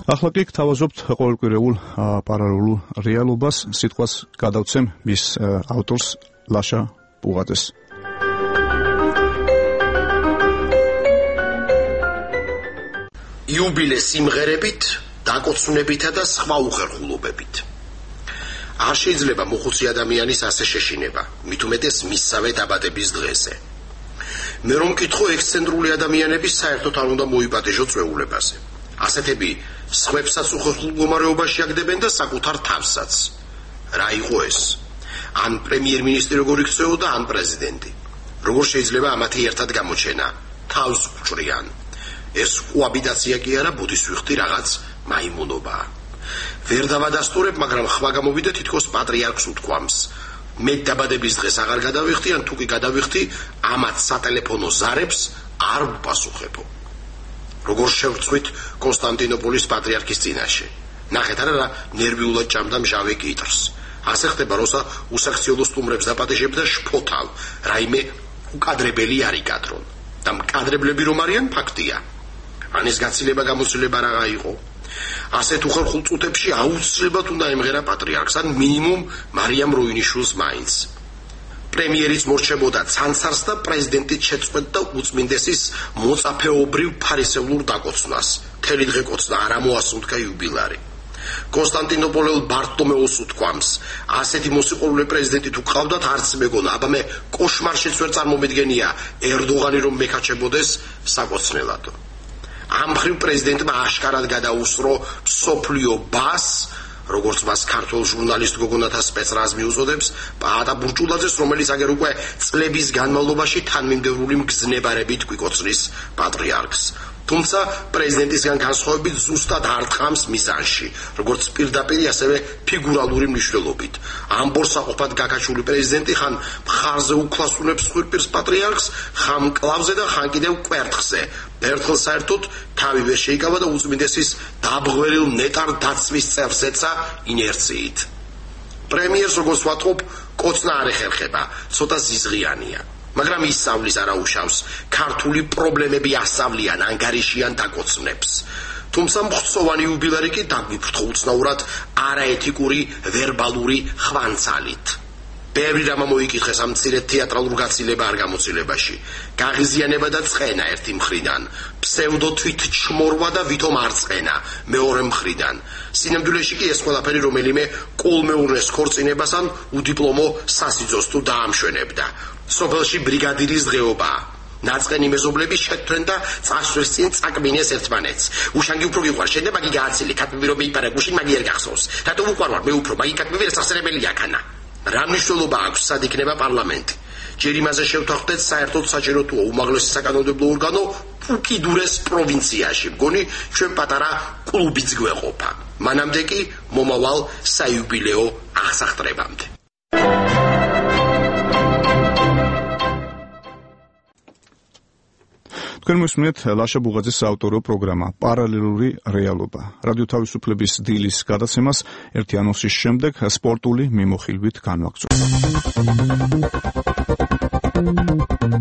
ახლა კი გთავაზობთ ყოველკვირეულ პარალელურ რეალობას, სიტყვას გადავცემ მის ავტორს ლაშა პუღაძეს. იუბილე სიმღერებით, დაკოცვნებითა და სხვა უხერხულობებით. არ შეიძლება მოხუცი ადამიანის ასე შეშინება, მით უმეტეს მისსავე დაბადების დღეზე. მე რომ მკითხო, ექსცენტრული ადამიანები საერთოდ არ უნდა მოიპატეჟო წვეულებაზე. ასეთები სხვებსაც უხერხულ მდგომარეობაში აგდებენ და საკუთარ თავსაც. რა იყო ეს? ან პრემიერ-მინისტრი როგორ იქცეოდა, ან პრეზიდენტი. როგორ შეიძლება ამათი ერთად გამოჩენა? თავს უჭრიან. ეს კოაბიტაცია კი არა, ბუდისვიხთი რაღაც მაიმუნობაა. ვერ დავადასტურებ, მაგრამ ხმა გამოვიდა თითქოს პატრიარქს უთქვამს. მე დაბადების დღეს აღარ გადავიხდი, ან თუ კი გადავიხდი, ამათ სატელეფონო ზარებს არ ვპასუხებო. როგორ შევწყვით კონსტანტინოპოლის პატრიარქის წინაშე. ნახეთ არა, ნერვიულად ჭამდა მჟავე კიტრს. ასე ხდება, როცა უსაქციელო სტუმრებს დაპატეჟებდა შფოთავ, რაიმე უკადრებელი არ იკადრონ. და მკადრებლები რომ არიან, ფაქტია. ან ეს გაცილება გამოცდილება რა იყო? ასეთ უხერხულ წუთებში აუცილებლად უნდა ემღერა პატრიარქს, ან მინიმუმ მარიამ როინიშვილს მაინც. პრემიერიც მორჩებოდა ცანცარს და პრეზიდენტიც შეწყვეტდა უწმინდესის მოწაფეობრივ ფარისევლურ დაკოცნას. მთელი დღე კოცნა არ ამოასუნთქა იუბილარი. კონსტანტინოპოლელ ბარტომეოს უთქვამს, ასეთი მოსიყვარულე პრეზიდენტი თუ ყავდათ, არც მეგონა, აბა მე კოშმარშიც ვერ წარმომედგენია ერდოღანი რომ მეკაჩებოდეს საკოცნელად. ამ მხრივ პრეზიდენტმა აშკარად გადაუსწრო მსოფლიო ბას, როგორც მას ქართულ ჟურნალისტ გოგონათა სპეცრაზმი უწოდებს, პაატა ბურჭულაძეს, რომელიც აგერ უკვე წლების განმავლობაში თანმიმდევრული მგზნებარებით გვიკოცნის პატრიარქს. თუმცა პრეზიდენტისგან განსხვავებით ზუსტად არ თხამს მიზანში, როგორც პირდაპირ, ასევე ფიგურალური მნიშვნელობით. ამ ბორსაყოფად გაკაჩული პრეზიდენტი ხან მხარზე უკლასუნებს ხვირპირს პატრიარქს, ხან მკლავზე და ხან კიდევ კვერთხზე. ერთხელ საერთოდ თავი ვერ შეიკავა და უწმინდესის დაბღვერილ ნეტარ დაცვის წევს ეცა ინერციით. პრემიერს როგორც ვატყობ, კოცნა არ ეხერხება, ცოტა ზიზღიანია. მაგრამ ისწავლის არა უშავს, ქართული პრობლემები ასწავლიან, ანგარიშიან დაკოცნებს. თუმცა მხცოვანი იუბილარი კი დაგვიფრთხო უცნაურად არაეთიკური ვერბალური ხვანცალით. ბევრი რამა მოიკითხეს ამ მცირე თეატრალურ გაცილება არ გამოცდილებაში. გაღიზიანება და წყენა ერთი მხრიდან, ფსევდო თვითჩმორვა და ვითომ არ წყენა მეორე მხრიდან. სინამდვილეში კი ეს ყველაფერი რომელიმე კოლმეურნეს ქორწინებას ან უდიპლომო სასიძოს თუ დაამშვენებდა. სოფელში ბრიგადირის დღეობაა. ნაწყენი მეზობლები შეtvენ და წასვლის წინ წაკმინეს ერთმანეთს. უშანგი უფრო გიყვარ, შენ და მაგი გააცილი, ქათმები რომ მეიპარა გუშინ მაგი არ გახსოვს. რატო უყვარვარ მე უფრო, მაგი ქათმები რასახსენებელია ქანა. რა მნიშვნელობა აქვს სად იქნება პარლამენტი? ჯერ იმაზე შევთანხმდეთ, საერთოდ საჭირო თუა უმაღლესი საკანონმდებლო ორგანო უკიდურეს პროვინციაში. მგონი ჩვენ პატარა კლუბიც გვეყოფა. მანამდე კი მომავალ საიუბილეო აღსახტრებამდე. თქვენ მოსმენთ ლაშა ბუღაძის საავტორო პროგრამა პარალელური რეალობა. რადიო თავისუფლების დილის გადაცემას ერთი ანონსის შემდეგ სპორტული მიმოხილვით განვაგრძობთ.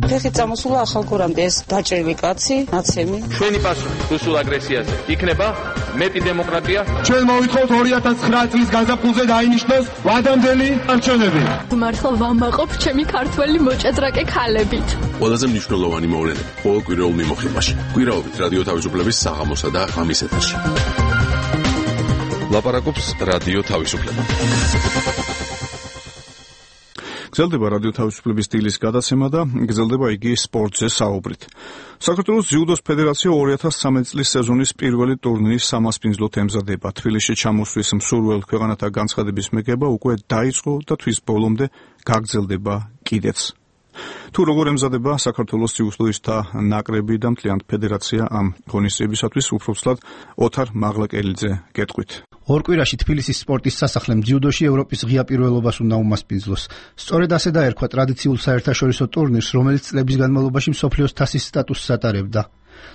ხეხი წამოსულა ახალგორამდე ეს დაჭრილი კაცი, ნაცემი. ჩვენი პასუხი რუსულ აგრესიაზე იქნება მეტი დემოკრატია. ჩვენ მოვითხოვთ 2009 წლის გაზაფხულზე დაინიშნოს ვადამდელი არჩევნები. მართლა ვამაყობ ჩემი ქართველი მოჭადრაკე ქალებით. ყველაზე მნიშვნელოვანი მოვლენები ყოველ კვირეულ მიმოხილვაში. კვირაობით რადიო თავისუფლების საღამოსა და ღამის ეთერში. ლაპარაკობს რადიო თავისუფლება. გრძელდება რადიო თავისუფლების დილის გადაცემა და გრძელდება იგი სპორტზე საუბრით. საქართველოს ძიუდოს ფედერაცია 2013 წლის სეზონის პირველი ტურნირის სამასპინძლოდ ემზადება. თბილისში ჩამოსვლის მსურველ ქვეყანათა განცხადების მეგება უკვე დაიწყო და თვის ბოლომდე გაგრძელდება კიდეც. თუ როგორ ემზადება საქართველოს ძიუდოისტთა ნაკრები და მთლიანად ფედერაცია ამ ღონისძიებისათვის, უბრალოდ ოთარ მაღლაკელიძე გეტყვით. ორ კვირაში თბილისის სპორტის სასახლემ ძიუდოში ევროპის ღია პირველობას უნდა უმასპინძლოს. სწორედ ასე დაერქვა ტრადიციულ საერთაშორისო ტურნირს, რომელიც წლების განმავლობაში მსოფლიოს თასის სტატუსს ატარებდა.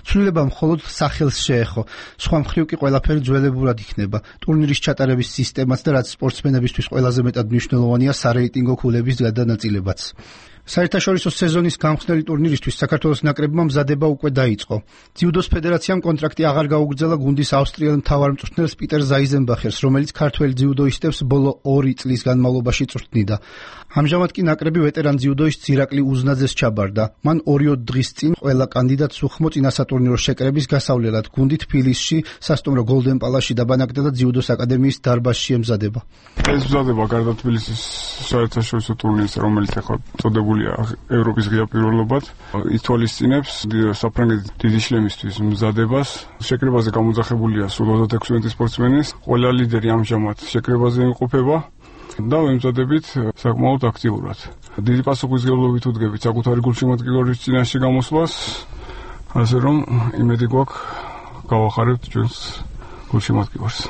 ცვლილება მხოლოდ სახელს შეეხო, სხვა მხრივ კი ყველაფერი ძველებურად იქნება. ტურნირის ჩატარების სისტემაც და რაც სპორტსმენებისთვის ყველაზე მეტად მნიშვნელოვანია, სარეიტინგო ქულების გადანაწილებაც. საერთაშორისო სეზონის გამხსნელი ტურნირისთვის საქართველოს ნაკრებმა მზადება უკვე დაიწყო. ძიუდოს ფედერაციამ კონტრაქტი აღარ გაუგრძელა გუნდის ავსტრიელ მთავარმწვრთნელს პიტერ ზაიზენბახერს, რომელიც ქართველ ძიუდოისტებს ბოლო 2 წლის განმავლობაში წვრთნიდა. ამჟამად კი ნაკრები ვეტერან ძიუდოისტ ირაკლი უზნაძეს ჩაბარდა. მან 2 დღის წინ ყველა კანდიდატს უხმო წინასატურნირო შეკრების გასავლელად გუნდი თბილისში სასტუმრო გოლდენ პალასში დაბანაკდა და ძიუდოს აკადემიის დარბაზში ემზადება. ეს მზადება გარდა თბილისის საერთაშორისო ტურნირის, რომელიც ახლა წოდებული ევროპის ღია პირველობად, ითვალისწინებს საფრანგეთის დიდი შლემისთვის მზადებას. შეკრებაზე გამოძახებულია სულ 36 სპორტსმენის. ყველა ლიდერი ამჟამად შეკრებაზე იმყოფება. და ვემზადებით საკმაოდ აქტიურად. დიდი პასუხისმგებლობით ვუდგებით საკუთარი გულშემატკივრის წინაშე გამოსვლას, ასე რომ იმედი გვაქვს გავახარებთ ჩვენს გულშემატკივარს.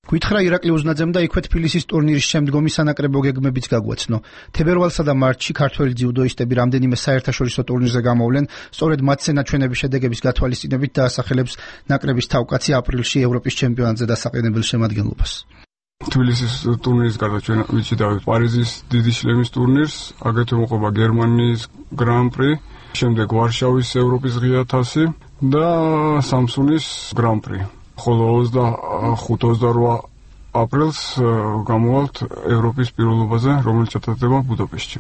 გითხრა ირაკლი უზნაძემ და იქვე თბილისის ტურნირის შემდგომი სანაკრებო გეგმებიც გაგვაცნო. თებერვალსა და მარტში ქართველი ძიუდოისტები რამდენიმე საერთაშორისო ტურნირზე გამოვლენ, სწორედ მათზე ნაჩვენების შედეგების გათვალისწინებით დაასახელებს ნაკრების თავკაცი აპრილში ევროპის ჩემპიონატზე დასაყენებელ შემადგენლობას. თბილისის ტურნირის გარდა ჩვენ ვიცით პარიზის დიდი შლემის ტურნირს, აგრეთვე მოყვება გერმანიის გრან-პრი, შემდეგ ვარშავის ევროპის ღია თასი და სამსუნის გრან-პრი. ხოლო 25-28 აპრილს გამოვალთ ევროპის პირველობაზე, რომელიც ჩატარდება ბუდაპეშტში.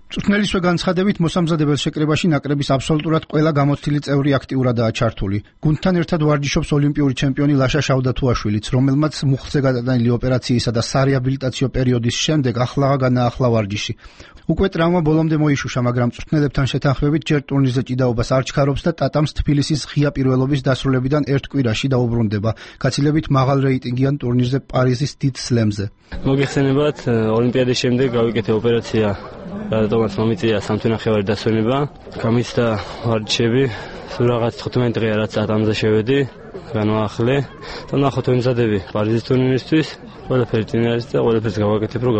მწვრთნელისვე განცხადებით მოსამზადებელ შეკრებაში ნაკრების აბსოლუტურად ყველა გამოცდილი წევრი აქტიურადაა ჩართული. გუნდთან ერთად ვარჯიშობს ოლიმპიური ჩემპიონი ლაშა შავდათუაშვილიც, რომელმაც მუხლზე გადატანილი ოპერაციისა და სარეაბილიტაციო პერიოდის შემდეგ ახლაა განაახლა ვარჯიში. უკვე ტრავმა ბოლომდე მოიშუშა, მაგრამ მწვრთნელებთან შეთანხმებით ჯერ ტურნირზე ჭიდაობას არ ჩქარობს და ტატამს თბილისის ღია პირველობის დასრულებიდან ერთ კვირაში დაუბრუნდება, გაცილებით მაღალ რეიტინგიან ტურნირზე პარიზის დიდ სლემზე. მოგეხსენებათ, ოლიმპიადის შემდეგ გავიკეთე ოპერაცია, რადგანაც მომიწია სამთვინახევარი დასვენება, გამიცდა ვარჯიშები, სულ რაღაც 15 დღეა რაც ტატამზე შევედი, განვაახლე და ნახოთ ვემზადები პარიზის ტურნირისთვის. ყველაფერი წინ არის და ყველაფერს გავაკეთებ, რომ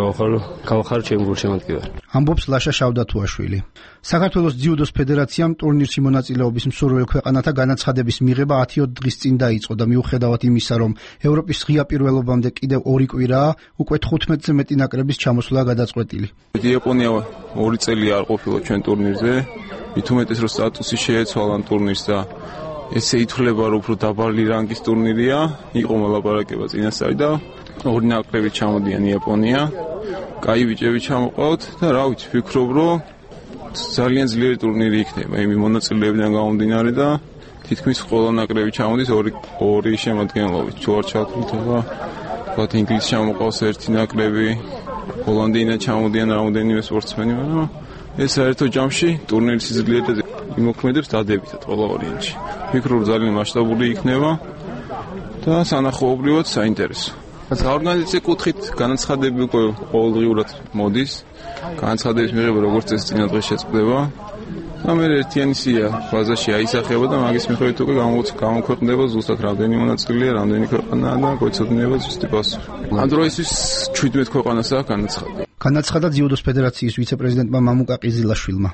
გავახარო ჩემ გულშემატკივარ. ამბობს ლაშა შავდათუაშვილი. საქართველოს ძიუდოს ფედერაციამ ტურნირში მონაწილეობის მსურველ ქვეყანათა განაცხადების მიღება 10 დღის წინ დაიწყო და მიუხედავად იმისა, რომ ევროპის ღია პირველობამდე კიდევ 2 კვირაა, უკვე 15-ზე მეტი ნაკრების ჩამოსვლა გადაწყვეტილი. იაპონია 2 წელი არ ყოფილა ჩვენ ტურნირზე, მით უმეტეს რომ სტატუსი შეეცვალა ტურნირს და ესე ითვლება, რომ უფრო დაბალი რანგის ტურნირია, იყო მოლაპარაკება წინასწარი და 2 ნაკრები ჩამოდიან იაპონია, კაი ბიჭები ჩამოყავთ და რა ვიცი, ვფიქრობ, რომ ძალიან ძლიერი ტურნირი იქნება იმ მონაწილეებიდან გამომდინარე და თითქმის ყველა ნაკრები ჩამოდის 2 შემადგენლობით. თუ არ ჩავთვლითება, ვთქვათ ინგლისი ჩამოყავს 1 ნაკრები, ჰოლანდიიდან ჩამოდიან რამდენიმე სპორტსმენი, მაგრამ ეს საერთო ჯამში ტურნირის სიძლიერეზე იმოქმედებს დადებითად ყველა ვარიანტში. ვფიქრობ, ძალიან მასშტაბური იქნება და სანახაობრივად საინტერესო. საორგანიზაციო კუთხით განაცხადები უკვე ყოველდღიურად მოდის. განაცხადების მიღება როგორც წესი წინა დღეს შეწყდება. და მე ერთიანი სია ბაზაში აისახება და მაგის მიხედვით უკვე გამოქვეყნდება ზუსტად რამდენი მონაწილეა, რამდენი ქვეყანაა და გვეცოდინება ზუსტი პასუხი. ამ დროისთვის 17 ქვეყანას აქვს განაცხადი. განაცხადა ძიუდოს ფედერაციის ვიცე-პრეზიდენტმა მამუკა ყიზილაშვილმა.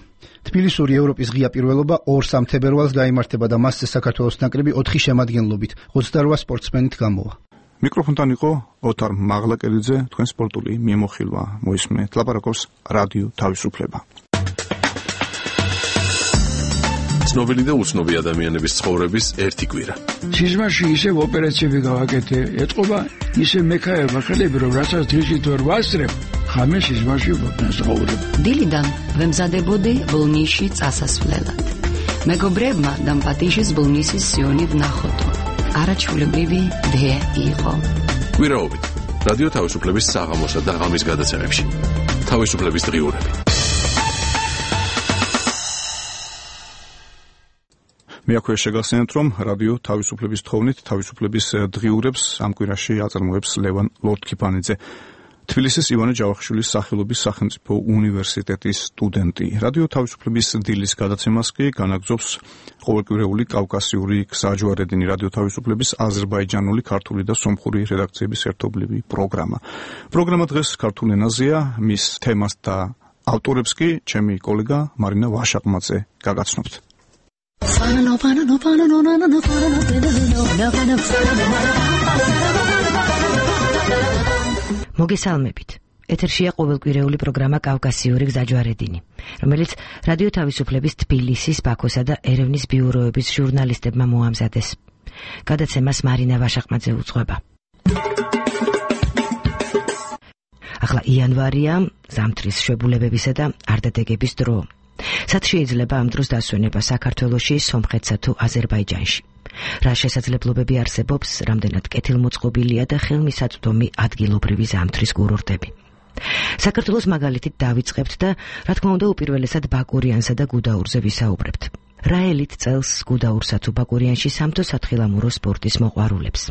თბილისური ევროპის ღია პირველობა 2-3 თებერვალს გაიმართება და მასზე საქართველოს ნაკრები 4 შემადგენლობით 28 სპორტსმენით გამოვა. მიკროფონთან იყო ოთარ მაღლაკელიძე, თქვენ სპორტული მიმოხილვა მოისმენთ. ლაპარაკობს რადიო თავისუფლება. ცნობილი და უცნობი ადამიანების ცხოვრების ერთი კვირა. სიზმარში ისევ ოპერაციები გავაკეთე, ეთყობა ისე მექაება ხელები, რომ რასაც დღისით ვერ ვასწრებ, ხამე სიზმარში ვცხოვრობ. დილიდან ვემზადებოდი ბოლნისში წასასვლელად. მეგობრებმა დამპატიშის ბოლნისის სიონი ვნახოთ. არაჩვეულებრივი დე იყო. კვირაობით რადიო თავისუფლების საღამოსა და ღამის გადაცემებში. თავისუფლების დღიურები. მე აქვე შეგახსენებთ, რომ რადიო თავისუფლების თხოვნით თავისუფლების დღიურებს ამ კვირაში აწარმოებს ლევან ლორთქიფანიძე, თბილისის ივანე ჯავახიშვილის სახელობის სახელმწიფო უნივერსიტეტის სტუდენტი. რადიო თავისუფლების დილის გადაცემას კი განაგრძობს ყოველკვირეული კავკასიური გზაჯვარედინი რადიო თავისუფლების აზერბაიჯანული, ქართული და სომხური რედაქციების ერთობლივი პროგრამა. პროგრამა დღეს ქართულ ენაზეა, მის თემას და ავტორებს კი ჩემი კოლეგა მარინა ვაშაყმაძე გაგაცნობთ. მოგესალმებით. ეთერშია ყოველკვირეული პროგრამა კავკასიური გზაჯვარედინი, რომელიც რადიო თავისუფლების თბილისის, ბაქოსა და ერევნის ბიუროების ჟურნალისტებმა მოამზადეს. გადაცემას მარინა ვაშაყმაძე უძღვება. ახლა იანვარია, ზამთრის შვებულებებისა და არდადეგების დრო. სად შეიძლება ამ დროს დასვენება საქართველოში, სომხეთსა თუ აზერბაიჯანში? რა შესაძლებლობები არსებობს, რამდენად კეთილმოწყობილია და ხელმისაწვდომი ადგილობრივი ზამთრის კურორტები? საქართველოს მაგალითით დავიწყებთ და რა თქმა უნდა უპირველესად ბაკურიანსა და გუდაურზე ვისაუბრებთ. რა ელით წელს გუდაურსა თუ ბაკურიანში სამთო-სათხილამურო სპორტის მოყვარულებს?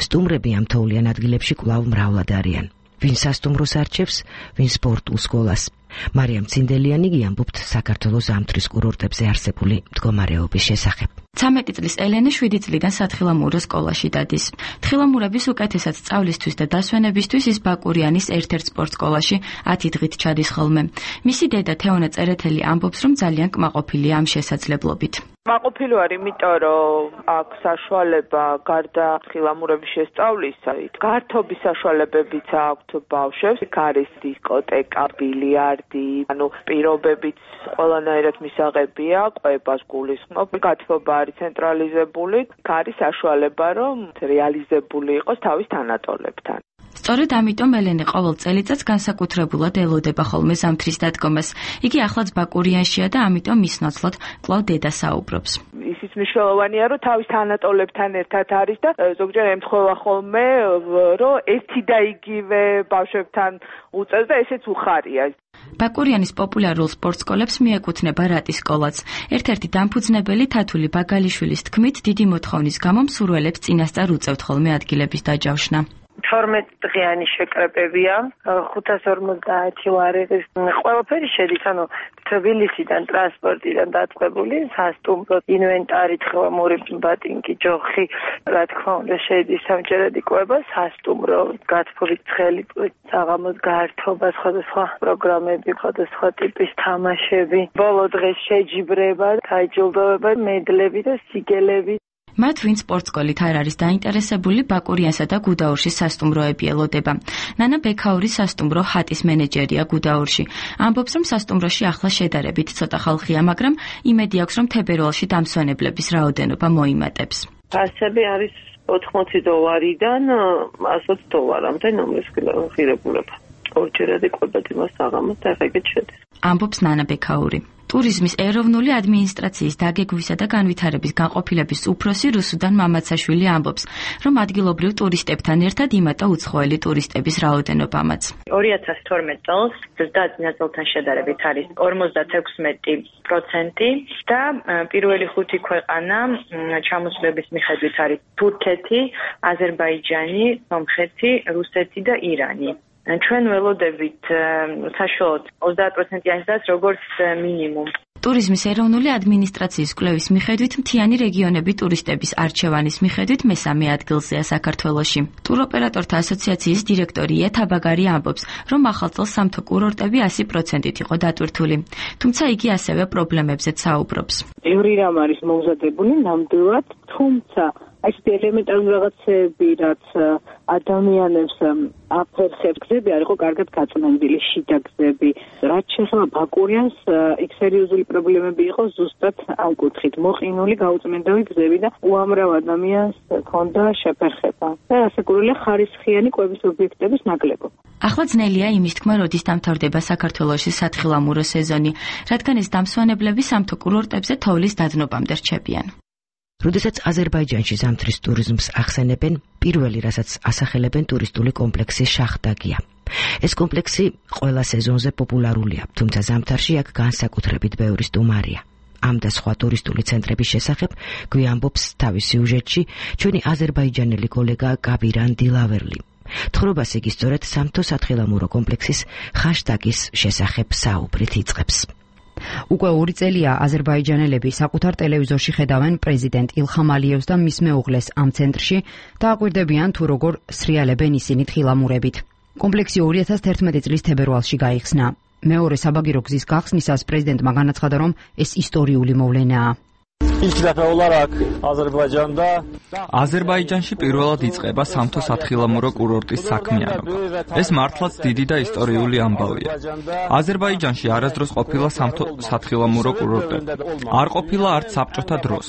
სტუმრები ამ თოვლიან ადგილებში კვლავ მრავლად არიან. ვინ სასტუმროს არჩევს, ვინ სპორტულ სკოლას. მარიამ ცინდელიანი ამბობთ საქართველოს ზამთრის კურორტებზე არსებული მდგომარეობის შესახებ. 13 წლის ელენე 7 წლიდან სათხილამურო სკოლაში დადის. თხილამურების უკეთესად სწავლისთვის და დასვენებისთვის ის ბაკურიანის ერთ-ერთ სპორტ სკოლაში 10 დღით ჩადის ხოლმე. მისი დედა თეონა წერეთელი ამბობს, რომ ძალიან კმაყოფილია ამ შესაძლებლობით. კმაყოფილი ვარ, იმიტომ რომ აქ საშუალება გარდა თხილამურების შესწავლისა, გართობის საშუალებებიც აქვთ ბავშვებს, არის დისკოტეკა, ბილიარდი, პირობებიც ყველანაირად მისაღებია, ყვებას გულისხმობ, გათბობა არის ცენტრალიზებული, არის საშუალება, რომ რეალიზებული იყოს თავის თანატოლებთან. სწორედ ამიტომ ელენე ყოველ წელიწადს განსაკუთრებულად ელოდება ხოლმე ზამთრის დადგომას. იგი ახლაც ბაკურიანშია და ამიტომ მის ნაცვლად კვლავ დედა საუბრობს. ისიც მნიშვნელოვანია, რომ თავის თანატოლებთან ერთად არის და ზოგჯერ ემთხვევა ხოლმე, რომ ერთი და იგივე ბავშვებთან უწევს და ესეც უხარია. ბაკურიანის პოპულარულ სპორტ სკოლებს მიეკუთვნება რატის სკოლაც. ერთ-ერთი დამფუძნებელი თათული ბაგალიშვილის თქმით, დიდი მოთხოვნის გამო მსურველებს წინასწარ უწევთ ხოლმე ადგილების დაჯავშნა. 12 დღიანი შეკრებებია, 550 ვარიღის ყველაფერი შედის, თბილისიდან ტრანსპორტიდან დაწყებული, სასტუმრო, ინვენტარი, თხილამური ბატინგი, ჯოხი, რა თქმა უნდა, შედის სამჯერადი კვება, სასტუმრო, გათბობით ცხელი საღამოს გართობა, სხვადასხვა პროგრამები, სხვადასხვა ტიპის თამაშები, ბოლო დღეს შეჯიბრება, დაჯილდოება, მედლები და სიგელები. მათ ვინ სპორტ სკოლით არ არის დაინტერესებული, ბაკურიანსა და გუდაურში სასტუმროები ელოდება. ნანა ბექაური სასტუმრო ჰატის მენეჯერია გუდაურში. ამბობს, რომ სასტუმროში ახლა შედარებით ცოტა ხალხია, მაგრამ იმედი აქვს, რომ თებერვალში დამსვენებლების რაოდენობა მოიმატებს. ასები არის $80-დან $120-მდე ნომრის ღირებულება. ორჯერადი კვებად იმას საღამოს და ეგეთ შედის. ამბობს ნანა ბექაური. ტურიზმის ეროვნული ადმინისტრაციის დაგეგმვისა და განვითარების განყოფილების უფროსი რუსუდან მამაცაშვილი ამბობს, რომ ადგილობრივ ტურისტებთან ერთად იმატა უცხოელი ტურისტების რაოდენობამაც. 2012 წელს ზრდა წინაწელთან შედარებით არის 56% და პირველი 5 ქვეყანა ჩამოსვლების მიხედვით არის თურქეთი, აზერბაიჯანი, სომხეთი, რუსეთი და ირანი. ჩვენ ველოდებით საშუალოდ 30%-იანი ზრდას როგორც მინიმუმ. ტურიზმის ეროვნული ადმინისტრაციის კვლევის მიხედვით მთიანი რეგიონები ტურისტების არჩევანის მიხედვით მესამე ადგილზეა საქართველოში. ტუროპერატორთა ასოციაციის დირექტორი ეთაბაგარი ამბობს, რომ ახალ წელს სამთო კურორტები 100%-ით იყო დატვირთული. თუმცა იგი ასევე პრობლემებზეც საუბრობს. ბევრი რამ არის მომზადებული ნამდვილად, თუმცა ესეთი ელემენტარული რაღაცები, რაც ადამიანებს აფერხებს, გზები არ იყო კარგად გაწმენდილი, შიდა გზები. რაც შეეხება ბაკურიანს, იქ სერიოზული პრობლემები იყო ზუსტად ამ კუთხით. მოყინული, გაუწმენდავი გზები და უამრავ ადამიანს ჰქონდა შეფერხება. და ასაკურველი ხარისხიანი კვების ობიექტების ნაკლებობა. ახლა ძნელია იმის თქმა, როდის დამთავრდება საქართველოში სათხილამურო სეზონი, რადგან ეს დამსვენებლები სამთო კურორტებზე თოვლის დადნობამდე რჩებიან. როდესაც აზერბაიჯანში ზამთრის ტურიზმს ახსენებენ, პირველი რასაც ასახელებენ ტურისტული კომპლექსი შახდაგია. ეს კომპლექსი ყველა სეზონზე პოპულარულია, თუმცა ზამთარში აქ განსაკუთრებით ბევრი სტუმარია. ამ და სხვა ტურისტული ცენტრების შესახებ გვიამბობს თავის სიუჟეტში ჩვენი აზერბაიჯანელი კოლეგა კაბირან დილავერლი. თხრობას იგი სწორედ სამთო სათხილამურო კომპლექსის ხაშტაგის შესახებ საუბრით იწყებს. უკვე 2 წელია აზერბაიჯანელები საკუთარ ტელევიზორში ხედავენ პრეზიდენტ ილხამ ალიევს და მის მეუღლეს ამ ცენტრში და აკვირდებიან თუ როგორ სრიალებენ ისინი თხილამურებით. კომპლექსი 2011 წლის თებერვალში გაიხსნა. მეორე საბაგირო გზის გახსნისას პრეზიდენტმა განაცხადა, რომ ეს ისტორიული მოვლენაა. აზერბაიჯანში პირველად იწყება სამთო სათხილამურო კურორტის საქმიანობა. ეს მართლაც დიდი და ისტორიული ამბავია. აზერბაიჯანში არასდროს ყოფილა სამთო სათხილამურო კურორტები. არ ყოფილა არც საბჭოთა დროს.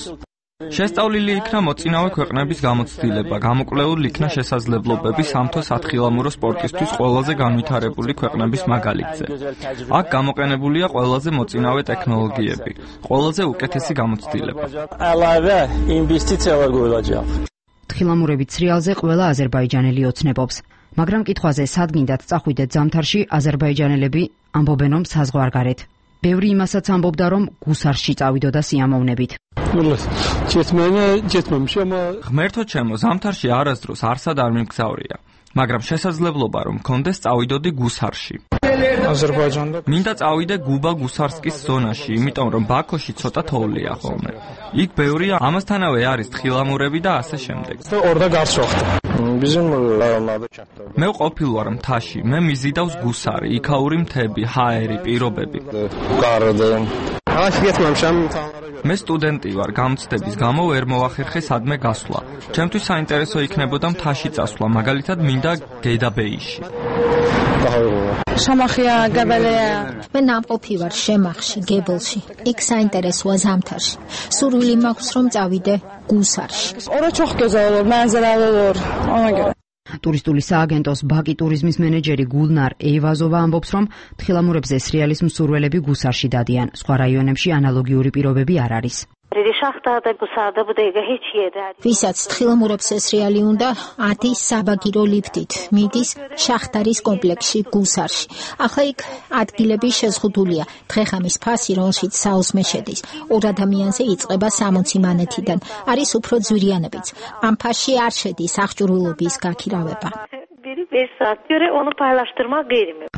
შესწავლილი იქნა მოწინავე ქვეყნების გამოცდილება, გამოკვლეულ იქნა შესაძლებლობები სამთო სათხილამურო სპორტისთვის ყველაზე განვითარებული ქვეყნების მაგალითზე. აქ გამოყენებულია ყველაზე მოწინავე ტექნოლოგიები, ყველაზე უკეთესი გამოცდილება. თხილამურებით სრიალზე ყველა აზერბაიჯანელი ოცნებობს, მაგრამ კითხვაზე სად გინდათ წახვიდეთ ზამთარში, აზერბაიჯანელები ამბობენ, რომ საზღვარგარეთ. ბევრი იმასაც ამბობდა, რომ გუსარში წავიდოდა სიამოვნებით. ღმერთო ჩემო, ზამთარში არასდროს არსად არ მიმგზავრია. მაგრამ შესაძლებლობა რომ მქონდეს წავიდოდი გუსარში. მინდა წავიდე გუბა გუსარსკის ზონაში, იმიტომ რომ ბაქოში ცოტა თოვლია ხოლმე. იქ ბევრია, ამასთანავე არის თხილამურები და ასე შემდეგ. მე ყოფილ ვარ მთაში, მე მიზიდავს გუსარი, იქაური მთები, ჰაერი, პირობები. მე სტუდენტი ვარ, გამოცდების გამო ვერ მოვახერხე სადმე გასვლა. ჩემთვის საინტერესო იქნებოდა მთაში წასვლა, მაგალითად მინდა გედაბეიში. შამახია გაბელია. მე ნამყოფი ვარ შემახში, გებელში. იქ საინტერესოა ზამთარში. სურვილი მაქვს რომ წავიდე გუსარში. ტურისტული სააგენტოს ბაკი ტურიზმის მენეჯერი გულნარ ეივაზოვა ამბობს, რომ თხილამურებზე სრიალის მსურველები გუსარში დადიან. სხვა რაიონებში ანალოგიური პირობები არ არის. ვისაც თხილამურებს სრიალი უნდა, ადის საბაგირო ლიფტით, მიდის შახტარის კომპლექსში გუსარში. ახლა იქ ადგილები შეზღუდულია. დღე-ღამის ფასი, რომელშიც საოსმე შედის, 2 ადამიანზე იწყება 60 მანეთიდან. არის უფრო ძვირიანებიც. ამ ფასში არ შედის აღჭურვილობის გაქირავება.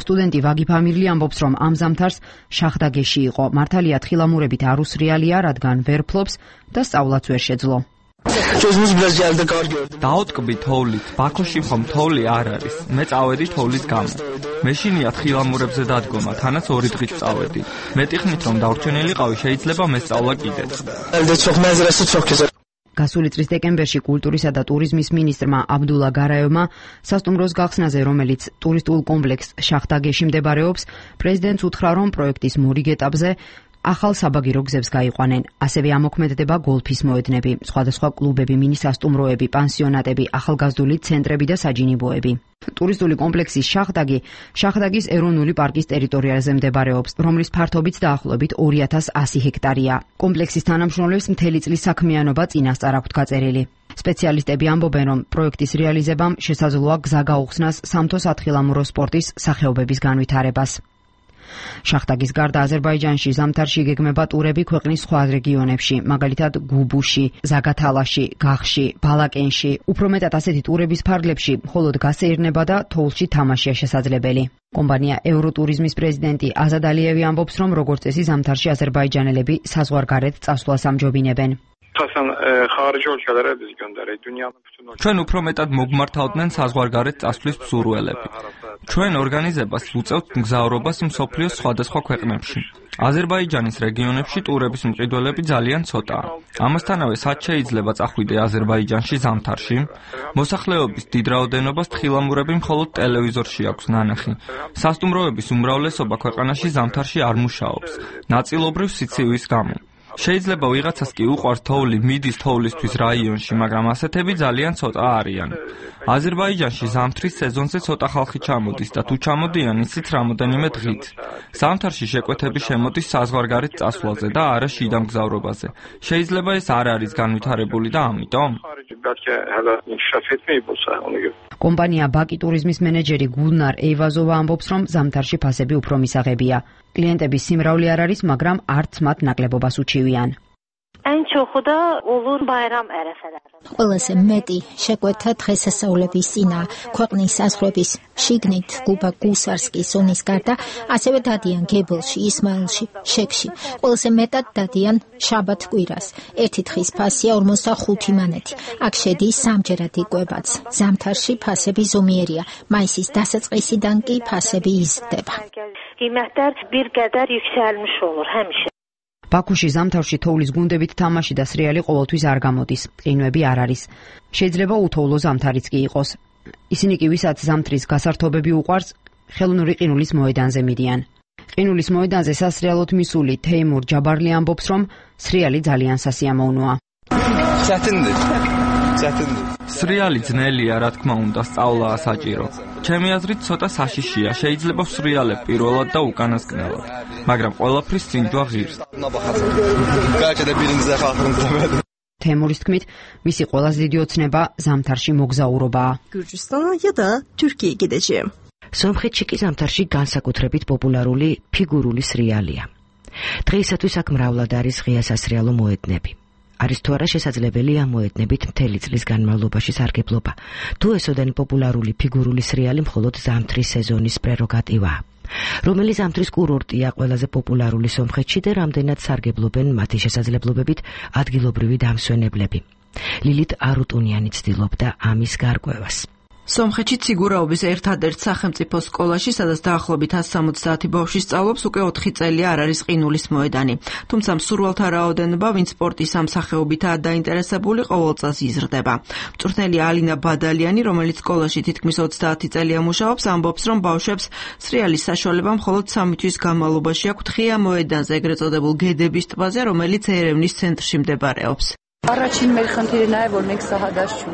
სტუდენტი ვაგი ფამილი ამბობს, რომ ამ ზამთარს შახდაგეში იყო. მართალია თხილამურებით არ უსრიალია, რადგან ვერ ფლობს და სწავლაც ვერ შეძლო. დაოტკბი თოვლით, ბაქოში ხომ თოვლი არ არის. მე წავედი თოვლის გამო. მეშინია თხილამურებზე დადგომა, თანაც 2 დღით წავედი. მეტიხნით რომ დავრჩენილიყავი, შეიძლება მესწავლა კიდეც. გასული წლის დეკემბერში კულტურისა და ტურიზმის მინისტრმა აბდულა გარაევმა სასტუმროს გახსნაზე, რომელიც ტურისტულ კომპლექს შახტაგეში მდებარეობს, პრეზიდენტს უთხრა, რომ პროექტის მორიგ ეტაპზე ახალ საბაგირო გზებს გაიყვანენ. ასევე ამოქმედდება გოლფის მოედნები, სხვადასხვა კლუბები, მინი-სასტუმროები, პანსიონატები, ახალგაზრდული ცენტრები და საჯინიბოები. ტურისტული კომპლექსის შახტაგის ეროვნული პარკის ტერიტორიაზე მდებარეობს, რომლის ფართობიც დაახლოებით 2100 ჰექტარია. კომპლექსის თანამშრომლებს მთელი წლის საქმიანობა წინასწარ აქვთ გაწერილი. სპეციალისტები ამბობენ, რომ პროექტის რეალიზებამ შესაძლოა გზა გაუხსნას სამთო-სათხილამურო სპორტის სახეობების განვითარებას. შახტაგის გარდა აზერბაიჯანში ზამთარში გეგმება ტურები ქვეყნის სხვა რეგიონებში, მაგალითად გუბუში, ზაგათალაში, გახში, ბალაკენში. უფრო მეტად ასეთი ტურების ფარგლებში მხოლოდ გასეირნება და თოვლში თამაშია შესაძლებელი. კომპანია ევროტურიზმის პრეზიდენტი აზად ალიევი ამბობს, რომ როგორც წესი ზამთარში აზერბაიჯანელები საზღვარგარეთ წასვლას ამჯობინებენ. ჩვენ უფრო მეტად მოგმართავდნენ საზღვარგარეთ წასვლის მსურველები. ჩვენ ორგანიზებას უწევთ მგზავრობას მსოფლიოს სხვადასხვა ქვეყნებში. აზერბაიჯანის რეგიონებში ტურების მყიდველები ძალიან ცოტაა. ამასთანავე, სად შეიძლება წახვიდე აზერბაიჯანში ზამთარში? მოსახლეობის დიდ რაოდენობას თხილამურები მხოლოდ ტელევიზორში აქვს ნანახი. სასტუმროების უმრავლესობა ქვეყანაში ზამთარში არ მუშაობს, ნაწილობრივ სიცივის გამო. შეიძლება ვიღაცას კი უყვარს თოვლი, მიდის თოვლისთვის რაიონში, მაგრამ ასეთები ძალიან ცოტა არიან. აზერბაიჯანში ზამთრის სეზონზე ცოტა ხალხი ჩამოდის და თუ ჩამოდიან, ისიც რამოდენიმე დღით. ზამთარში შეკვეთები შემოდის საზღვარგარეთ წასვლაზე და არა შიდა მგზავრობაზე. შეიძლება ეს არ არის განვითარებული და ამიტომ კომპანია ბაკი ტურიზმის მენეჯერი გულნარ ეივაზოვა ამბობს, რომ ზამთარში ფასები უფრო მისაღებია. კლიენტების სიმრავლე არ არის, მაგრამ არც მათ ნაკლებობას უჩივიან. ყველაზე მეტი შეკვეთა დღესასწაულების წინა ქვეყნის საზღვრების შიგნით გუბა გუსარსკის ზონის გარდა ასევე დადიან გებელში, ისმაილში, შექში. ყველაზე მეტად დადიან შაბათ კვირას. ერთი დღის ფასია 45 მანეთი. აქ შედის სამჯერად იკვებაც. ზამთარში ფასები ზომიერია. მაისის დასაწყისიდან კი ფასები იზრდება. ბაქოში ზამთარში თოვლის გუნდებით თამაში და სრიალი ყოველთვის არ გამოდის. ყინვები არ არის. შეიძლება უთოვლო ზამთარიც კი იყოს. ისინი კი ვისაც ზამთრის გასართობები უყვარს, ხელოვნური ყინულის მოედანზე მიდიან. ყინულის მოედანზე სასრიალოდ მისული თეიმურ ჯაბარლი ამბობს, რომ სრიალი ძალიან სასიამოვნოა. სრიალი ძნელია, რა თქმა უნდა, სწავლაა საჭირო. ჩემი აზრით ცოტა საშიშია, შეიძლება ვსრიალებ პირველად და უკანასკნელად, მაგრამ ყველაფრის წინჯვა ღირს. თემურის თქმით, მისი ყველაზე დიდი ოცნება ზამთარში მოგზაურობაა. სომხეთში კი ზამთარში განსაკუთრებით პოპულარული ფიგურული სრიალია. დღეისათვის აქ მრავლად არის ღია სასრიალო მოედნები. არის თუ არა შესაძლებელი ამოედნებით მთელი წლის განმავლობაში სარგებლობა. თუ ესოდენ პოპულარული ფიგურული სრიალი მხოლოდ ზამთრის სეზონის პრეროგატივაა. რომელი ზამთრის კურორტია ყველაზე პოპულარული სომხეთში და რამდენად სარგებლობენ მათი შესაძლებლობებით ადგილობრივი დამსვენებლები. ლილით არუტუნიანი ცდილობდა ამის გარკვევას. სომხეთში ციგურაობის ერთადერთ სახელმწიფო სკოლაში, სადაც დაახლოებით 170 ბავშვი სწავლობს, უკვე 4 წელია არ არის ყინულის მოედანი. თუმცა მსურველთა რაოდენობა, ვინც სპორტის ამ სახეობითაა დაინტერესებული, ყოველ წელს იზრდება. მწვრთნელი ალინა ბადალიანი, რომელიც სკოლაში თითქმის 30 წელია მუშაობს, ამბობს, რომ ბავშვებს სრიალის საშუალება მხოლოდ 3 თვის განმავლობაში აქვთ ღია მოედანზე, ეგრეთ წოდებულ გედების ტბაზე, რომელიც ერევნის ცენტრში მდებარეობს.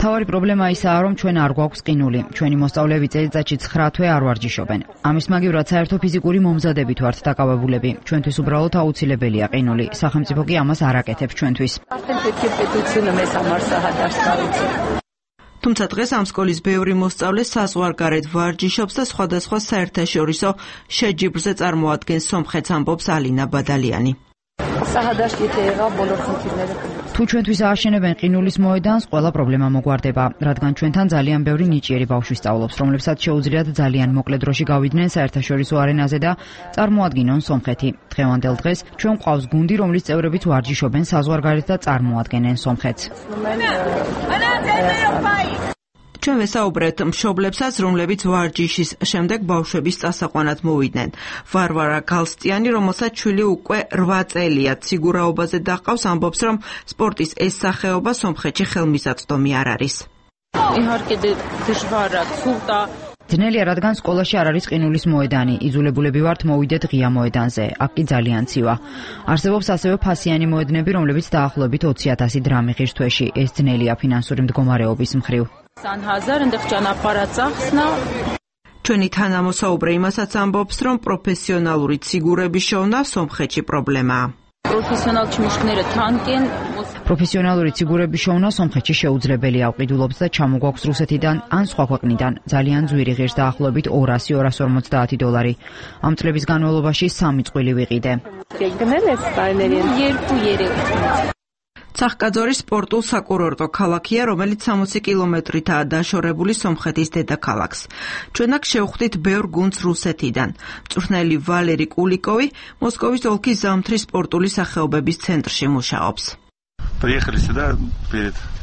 თავარი პრობლემა ისაა, რომ ჩვენ არ გვაქვს ყინული. ჩვენი მოსწავლეები წელიწადში 9 თვე არ ვარჯიშობენ. ამის მაგივრად საერთო ფიზიკური მომზადებით ვართ დაკავებულები. ჩვენთვის უბრალოდ აუცილებელია ყინული. სახელმწიფო კი ამას არ აკეთებს ჩვენთვის. თუმცა დღეს ამ სკოლის ბევრი მოსწავლე საზღვარგარეთ ვარჯიშობს და სხვადასხვა საერთაშორისო შეჯიბრზე წარმოადგენს სომხეთს, ამბობს ალინა ბადალიანი. თუ ჩვენთვის ააშენებენ ყინულის მოედანს, ყველა პრობლემა მოგვარდება, რადგან ჩვენთან ძალიან ბევრი ნიჭიერი ბავშვი სწავლობს, რომლებსაც შეუძლიათ ძალიან მოკლე დროში გავიდნენ საერთაშორისო არენაზე და წარმოადგინონ სომხეთი. დღევანდელ დღეს ჩვენ გვყავს გუნდი, რომლის წევრებიც ვარჯიშობენ საზღვარგარეთ და წარმოადგენენ სომხეთს. ჩვენ ვესაუბრეთ მშობლებსაც, რომლებიც ვარჯიშის შემდეგ ბავშვების წასაყვანად მოვიდნენ. ვარვარა გალსტიანი, რომელსაც შვილი უკვე 8 წელია ციგურაობაზე დაჰყავს, ამბობს, რომ სპორტის ეს სახეობა სომხეთში ხელმისაწვდომი არ არის. ძნელია, რადგან სკოლაში არ არის ყინულის მოედანი. იძულებულები ვართ მოვიდეთ ღია მოედანზე. აქ კი ძალიან ცივა. არსებობს ასევე ფასიანი მოედნები, რომლებიც დაახლოებით 20,000 დრამი ღირს თვეში. ეს ძნელია ფინანსური მდგომარეობის მხრივ. ჩვენი თანამოსაუბრე იმასაც ამბობს, რომ პროფესიონალური ციგურების შოვნა სომხეთში პრობლემაა. პროფესიონალური ციგურების შოვნა სომხეთში შეუძლებელია, ვყიდულობს და ჩამოგვაქვს რუსეთიდან ან სხვა ქვეყნიდან. ძალიან ძვირი ღირს დაახლოებით $200-250. ამ წლების განმავლობაში 3 წყვილი ვიყიდე. ცახკაძორი სპორტულ საკურორტო ქალაქია, რომელიც 60 კილომეტრითაა დაშორებული სომხეთის დედაქალაქს. ჩვენ აქ შევხვდით ბევრ გუნდს რუსეთიდან. მწვრთნელი ვალერი კულიკოვი მოსკოვის ოლქის ზამთრის სპორტული სახეობების ცენტრში მუშაობს.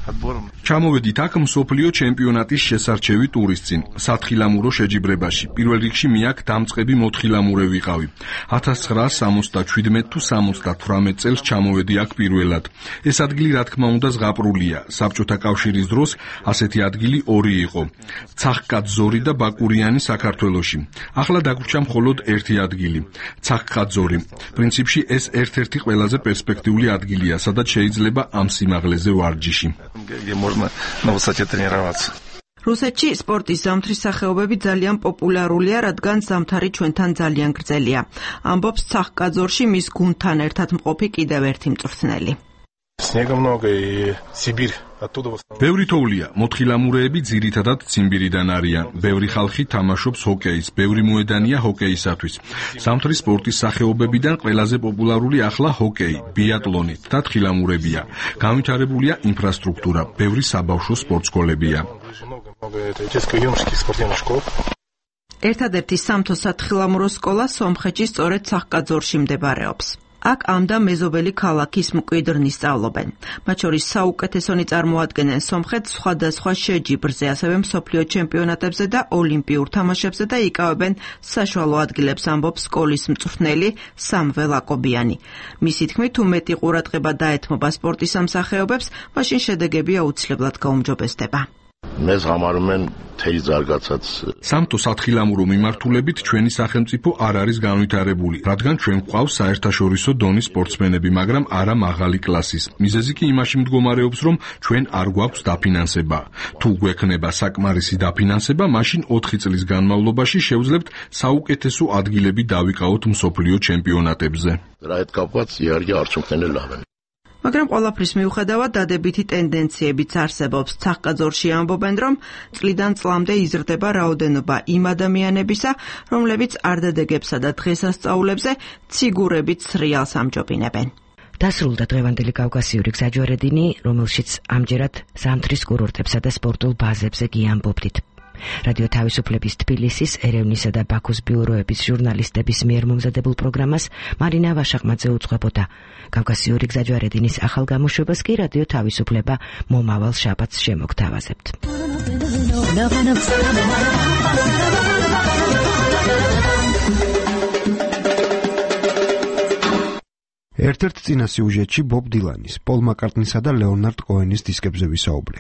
ჩამოვედით აქ მსოფლიო ჩემპიონატის შესარჩევი ტურის წინ, სათხილამურო შეჯიბრებაში. პირველ რიგში მე აქ დამწყები მოთხილამურე ვიყავი. 1977 თუ 78 წელს ჩამოვედი აქ პირველად. ეს ადგილი რა თქმა უნდა ზღაპრულია. საბჭოთა კავშირის დროს ასეთი ადგილი 2 იყო. ცახკაძორი და ბაკურიანი საქართველოში. ახლა დაგვრჩა მხოლოდ ერთი ადგილი. ცახკაძორი. პრინციპში ეს ერთ-ერთი ყველაზე პერსპექტიული ადგილია, სადაც შეიძლება ამ სიმაღლეზე ვარჯიში. რუსეთში სპორტის ზამთრის სახეობები ძალიან პოპულარულია, რადგან ზამთარი ჩვენთან ძალიან გრძელია. ამბობს ცახკაძორში მის გუნდთან ერთად მყოფი კიდევ ერთი მწვრთნელი. ბევრი თოვლია, მოთხილამურეები ძირითადად ციმბირიდან არიან. ბევრი ხალხი თამაშობს ჰოკეის, ბევრი მოედანია ჰოკეისათვის. ზამთრის სპორტის სახეობებიდან ყველაზე პოპულარული ახლა ჰოკეი, ბიატლონი და თხილამურებია. განვითარებულია ინფრასტრუქტურა, ბევრი საბავშვო სპორტსკოლებია. ერთადერთი სამთო სათხილამურო სკოლა სომხეთში სწორედ ცახკაძორში მდებარეობს. აქ ამ და მეზობელი ქალაქის მკვიდრნი სწავლობენ. მათ შორის საუკეთესონი წარმოადგენენ სომხეთს სხვადასხვა შეჯიბრზე, ასევე მსოფლიო ჩემპიონატებზე და ოლიმპიურ თამაშებზე და იკავებენ საშუალო ადგილებს, ამბობს სკოლის მწვრთნელი სამվել აკობიანი. მისი თქმით, თუ მეტი ყურადღება დაეთმობა სპორტის ამ სახეობებს, მაშინ შედეგები აუცილებლად გაუმჯობესდება. Mēs ღამარობენ თელი ზարգაცაც. სამთო სათხილამურო მიმართულებით ჩვენი სახელმწიფო არ არის განვითარებული, რადგან ჩვენ გვყავს საერთაშორისო დონის სპორტსმენები, მაგრამ არა მაღალი კლასის. მიზეზი კი იმაში მდგომარეობს, რომ ჩვენ არ გვაქვს დაფინანსება. თუ გვექნება საკმარისი დაფინანსება, მაშინ 4 წლის განმავლობაში შევძლებთ საუკეთესო ადგილები დავიკავოთ მსოფლიო ჩემპიონატებზე. რა ეთქაფაც იარგი არ ჩუქნელავენ. მაგრამ ყველაფრის მიუხედავად დადებითი ტენდენციებიც არსებობს. ცახკაძორში ამბობენ, რომ წლიდან წლამდე იზრდება რაოდენობა იმ ადამიანებისა, რომლებიც არდადეგებსა და დღესასწაულებზე ციგურებით სრიალს ამჯობინებენ. დასრულდა დღევანდელი კავკასიური გზაჯვარედინი, რომელშიც ამჯერად ზამთრის კურორტებსა და სპორტულ ბაზებზე გიამბობდით. რადიო თავისუფლების თბილისის, ერევნისა და ბაქოს ბიუროების ჟურნალისტების მიერ მომზადებულ პროგრამას მარინა ვაშაყმაძე უძღვებოდა. კავკასიური გზაჯვარედინის ახალ გამოშვებას კი რადიო თავისუფლება მომავალ შაბათს შემოგთავაზებთ. ერთ-ერთ წინა სიუჟეტში ბობ დილანის, პოლ მაკარტნისა და ლეონარდ კოენის დისკებზე ვისაუბრე,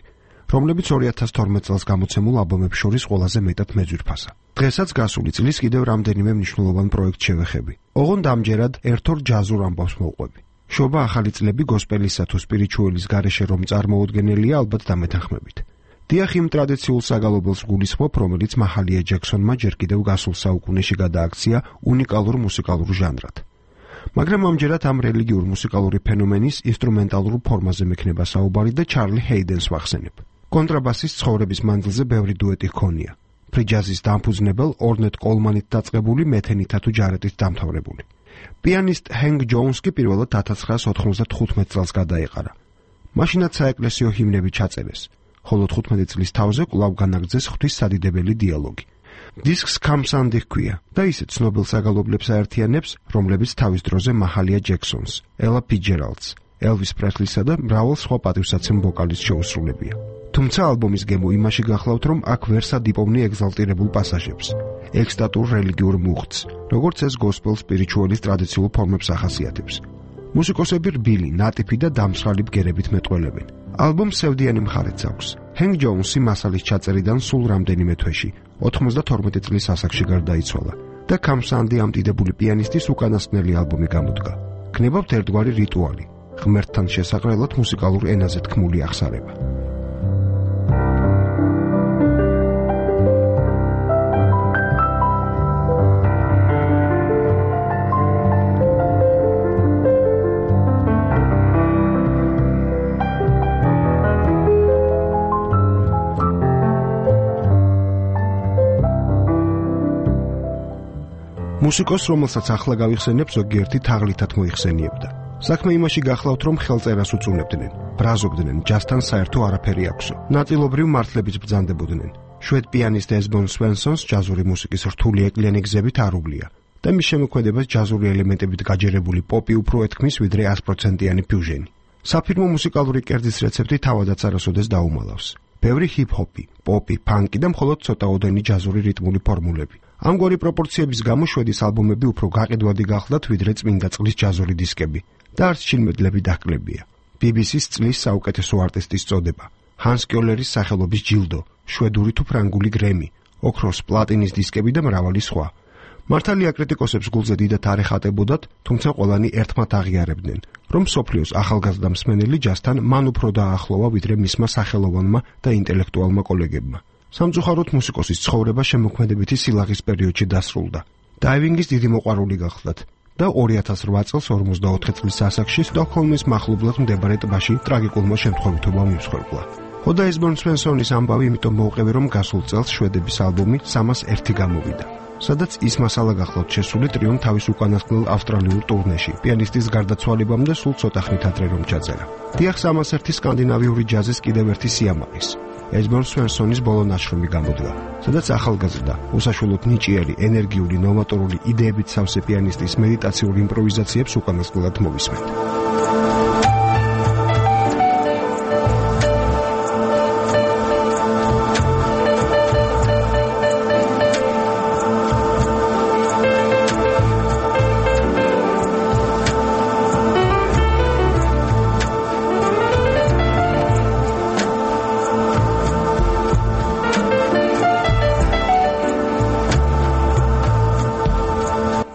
რომლებიც 2012 წელს გამოცემულ ალბომებს შორის ყველაზე მეტად მეძვირფასა. დღესაც გასული წლის კიდევ რამდენიმე მნიშვნელოვან პროექტს შევეხები. ოღონდ ამჯერად ერთ-ორ ჯაზურ ამბავს მოვყვები. შობა ახალი წლები გოსპელისა თუ სპირიჩუელის გარეშე რომ წარმოუდგენელია, ალბათ დამეთანხმებით. დიახ, იმ ტრადიციულ საგალობელს გულისხმობ, რომელიც მაჰალია ჯექსონმა ჯერ კიდევ გასულ საუკუნეში გადააქცია უნიკალურ მუსიკალურ ჟანრად. მაგრამ ამჯერად ამ რელიგიურ მუსიკალური ფენომენის ინსტრუმენტალურ ფორმაზე მექნება საუბარი და ჩარლი ჰეიდენს ვახსენებ. კონტრაბასის ცხოვრების მანძილზე ბევრი დუეტი ჰქონია. ფრიჯაზის დამფუძნებელ ორნეტ კოლმანით დაწყებული, მეთენითა თუ ჯარეტით დამთავრებული. პიანისტ ჰენგ ჯოუნს კი პირველად 1995 წელს გადაეყარა. მაშინაც საეკლესიო ჰიმნები ჩაწერეს, ხოლო 15 წლის თავზე კვლავ განაგრძეს ღვთის სადიდებელი დიალოგი. დისკს კამსანდი ჰქვია და ისეთ ცნობილ საგალობლებს აერთიანებს, რომლებიც თავის დროზე მაჰალია ჯექსონს, ელა ფიჯერალდს, ელვის პრესლისა და მრავალ სხვა პატივსაცემ ვოკალისტს შეუსრულებია. თუმცა ალბომის გემო იმაში გახლავთ, რომ აქ ვერ სადიპოვნი ეგზალტირებულ პასაჟებს, ექსტატურ რელიგიურ მუხტს, როგორც ეს გოსპელ სპირიჩუელის ტრადიციულ ფორმებს ახასიათებს. მუსიკოსები რბილი, ნატიფი და დამსრალი ბგერებით მეტყველებენ. ალბომს სევდიანი მხარეც აქვს. ჰენგ ჯოუნსი მასალის ჩაწერიდან სულ რამდენიმე თვეში, 92 წლის ასაკში გარდაიცვალა და კამსანდი ამტიდებული პიანისტის უკანასკნელი ალბომი გამოდგა. გნებავთ ერთგვარი რიტუალი, ღმერთთან შესაყრელად მუსიკალურ ენაზე თქმული აღსარება. მუსიკოს, რომელსაც ახლა გავიხსენებ, ზოგიერთი თაღლითად მოიხსენიებდა. საქმე იმაში გახლავთ, რომ ხელწერას უწუნებდნენ, ბრაზობდნენ, ჯასთან საერთო არაფერი აქვსო. ნაწილობრივ მართლებით ბრძანდებოდნენ. შვედ პიანისტ ესბონ სვენსონს ჯაზური მუსიკის რთული ეკლიანი გზებით არ უვლია და მის შემოქმედებას ჯაზური ელემენტებით გაჯერებული პოპი უფრო ეთქმის, ვიდრე 100%-იანი ფიუჟენი. საფირმო მუსიკალური კერძის რეცეპტი თავადაც არასოდეს დაუმალავს. ბევრი ჰიპ-ჰოპი, პოპი, ფანკი და მხოლოდ ცოტაოდენი ჯაზური რიტმული ფორმულები. ამგვარი პროპორციების გამო შვედის ალბომები უფრო გაყიდვადი გახლდათ, ვიდრე წმინდა წყლის ჯაზური დისკები და არც ჩინმედლები დაჰკლებია. BBC-ს წლის საუკეთესო არტისტის წოდება, ჰანს კიოლერის სახელობის ჯილდო, შვედური თუ ფრანგული გრემი, ოქროს, პლატინის დისკები და მრავალი სხვა. მართალია კრიტიკოსებს გულზე დიდად არ ეხატებოდათ, თუმცა ყველანი ერთმად აღიარებდნენ, რომ მსოფლიოს ახალგაზრდა მსმენელი ჯასთან მან უფრო დაახლოვა, ვიდრე მისმა სახელოვანმა და ინტელექტუალმა კოლეგებმა. სამწუხაროდ მუსიკოსის ცხოვრება შემოქმედებითი სილაღის პერიოდში დასრულდა. დაივინგის დიდი მოყვარული გახლდათ და 2008 წელს 44 წლის ასაკში სტოკჰოლმის მახლობლად მდებარე ტბაში ტრაგიკულმა შემთხვევითობამ იმსხვერპლა. ხოდა ესბონ სვენსონის ამბავი იმიტომ მოვყევი, რომ გასულ წელს შვედების ალბომი 301 გამოვიდა, სადაც ის მასალა გახლავთ შესული ტრიომ თავის უკანასკნელ ავსტრალიურ ტურნეში, პიანისტის გარდაცვალებამდე სულ ცოტა ხნით ადრე რომ ჩაწერა. დიახ, 301 სკანდინავიური ჯაზის კიდევ ერთი სიამაყის. ესბონ სვენსონის ბოლო ნაშრომი გამოდგა, სადაც ახალგაზრდა, უსაშველოდ ნიჭიერი, ენერგიული, ნოვატორული იდეებით სავსე პიანისტის მედიტაციურ იმპროვიზაციებს უკანასკნელად მოვისმენთ.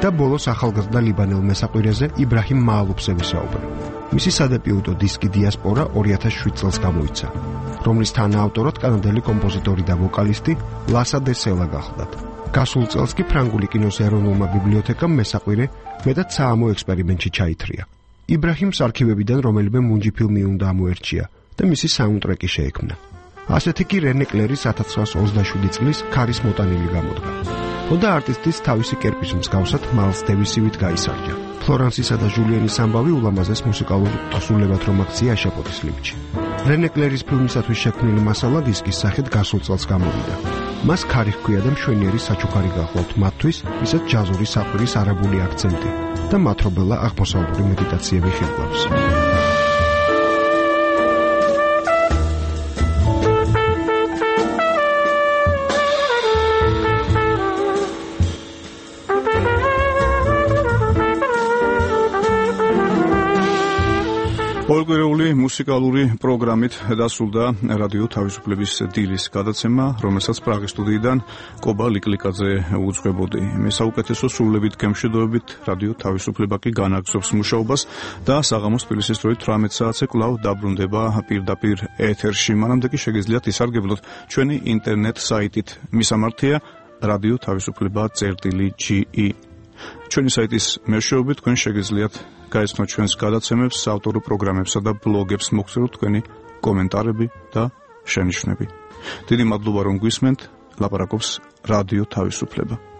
და ბოლოს ახალგაზრდა ლიბანელ მესაყვირეზე იბრაჰიმ მაალუფზე ვისაუბრე. მისი სადებიუტო დისკი დიასპორა 2007 წელს გამოიცა, რომლის თანაავტორად კანადელი კომპოზიტორი და ვოკალისტი ლასა დე სელა გახლდათ. გასულ წელს კი ფრანგული კინოს ეროვნულმა ბიბლიოთეკამ მესაყვირე მეტად საამო ექსპერიმენტში ჩაითრია. იბრაჰიმს არქივებიდან რომელიმე მუნჯი ფილმი უნდა ამოერჩია და მისი საუნდტრეკი შეექმნა. ასეთი კი რენე კლერის 1927 წლის ქარის მოტანილი გამოდგა. ხოდა არტისტის თავისი კერპის მსგავსად მაილს დევისივით გაისარჯა. ფლორანსისა და ჟულიანის ამბავი ულამაზეს მუსიკალურ თხზულებად რომ აქცია აშაპოთის ლიმჩი. რენე კლერის ფილმისათვის შექმნილი მასალა დისკის სახით გასულ წელს გამოვიდა. მას ქარი ჰქვია და მშვენიერი საჩუქარი გახლავთ მათთვის, ვისაც ჯაზური საყვირის არაბული აქცენტი და მათრობელა აღმოსავლური მედიტაციები ხელმძღვანელობს. ორკვირეული მუსიკალური პროგრამით დასრულდა რადიო თავისუფლების დილის გადაცემა, რომელსაც პრაღის სტუდიიდან კობა ლიკლიკაძე უძღვებოდი. მე საუკეთესო სრულებით გემშვიდობებით რადიო თავისუფლება კი განაგრძობს მუშაობას და საღამოს თბილისის 18 საათზე კვლავ დაბრუნდება პირდაპირ ეთერში. მანამდე კი შეგიძლიათ ისარგებლოთ ჩვენი ინტერნეტ საიტით. მისამართია რადიო თავისუფლება.ge. ჩვენი საიტის მეშვეობით თქვენ შეგიძლიათ გაეცნოთ ჩვენს გადაცემებს, ავტორურ პროგრამებსა და ბლოგებს, მოგწეროთ თქვენი კომენტარები და შენიშვნები. დიდი მადლობა რომ გვისმენთ. ლაპარაკობს რადიო თავისუფლება.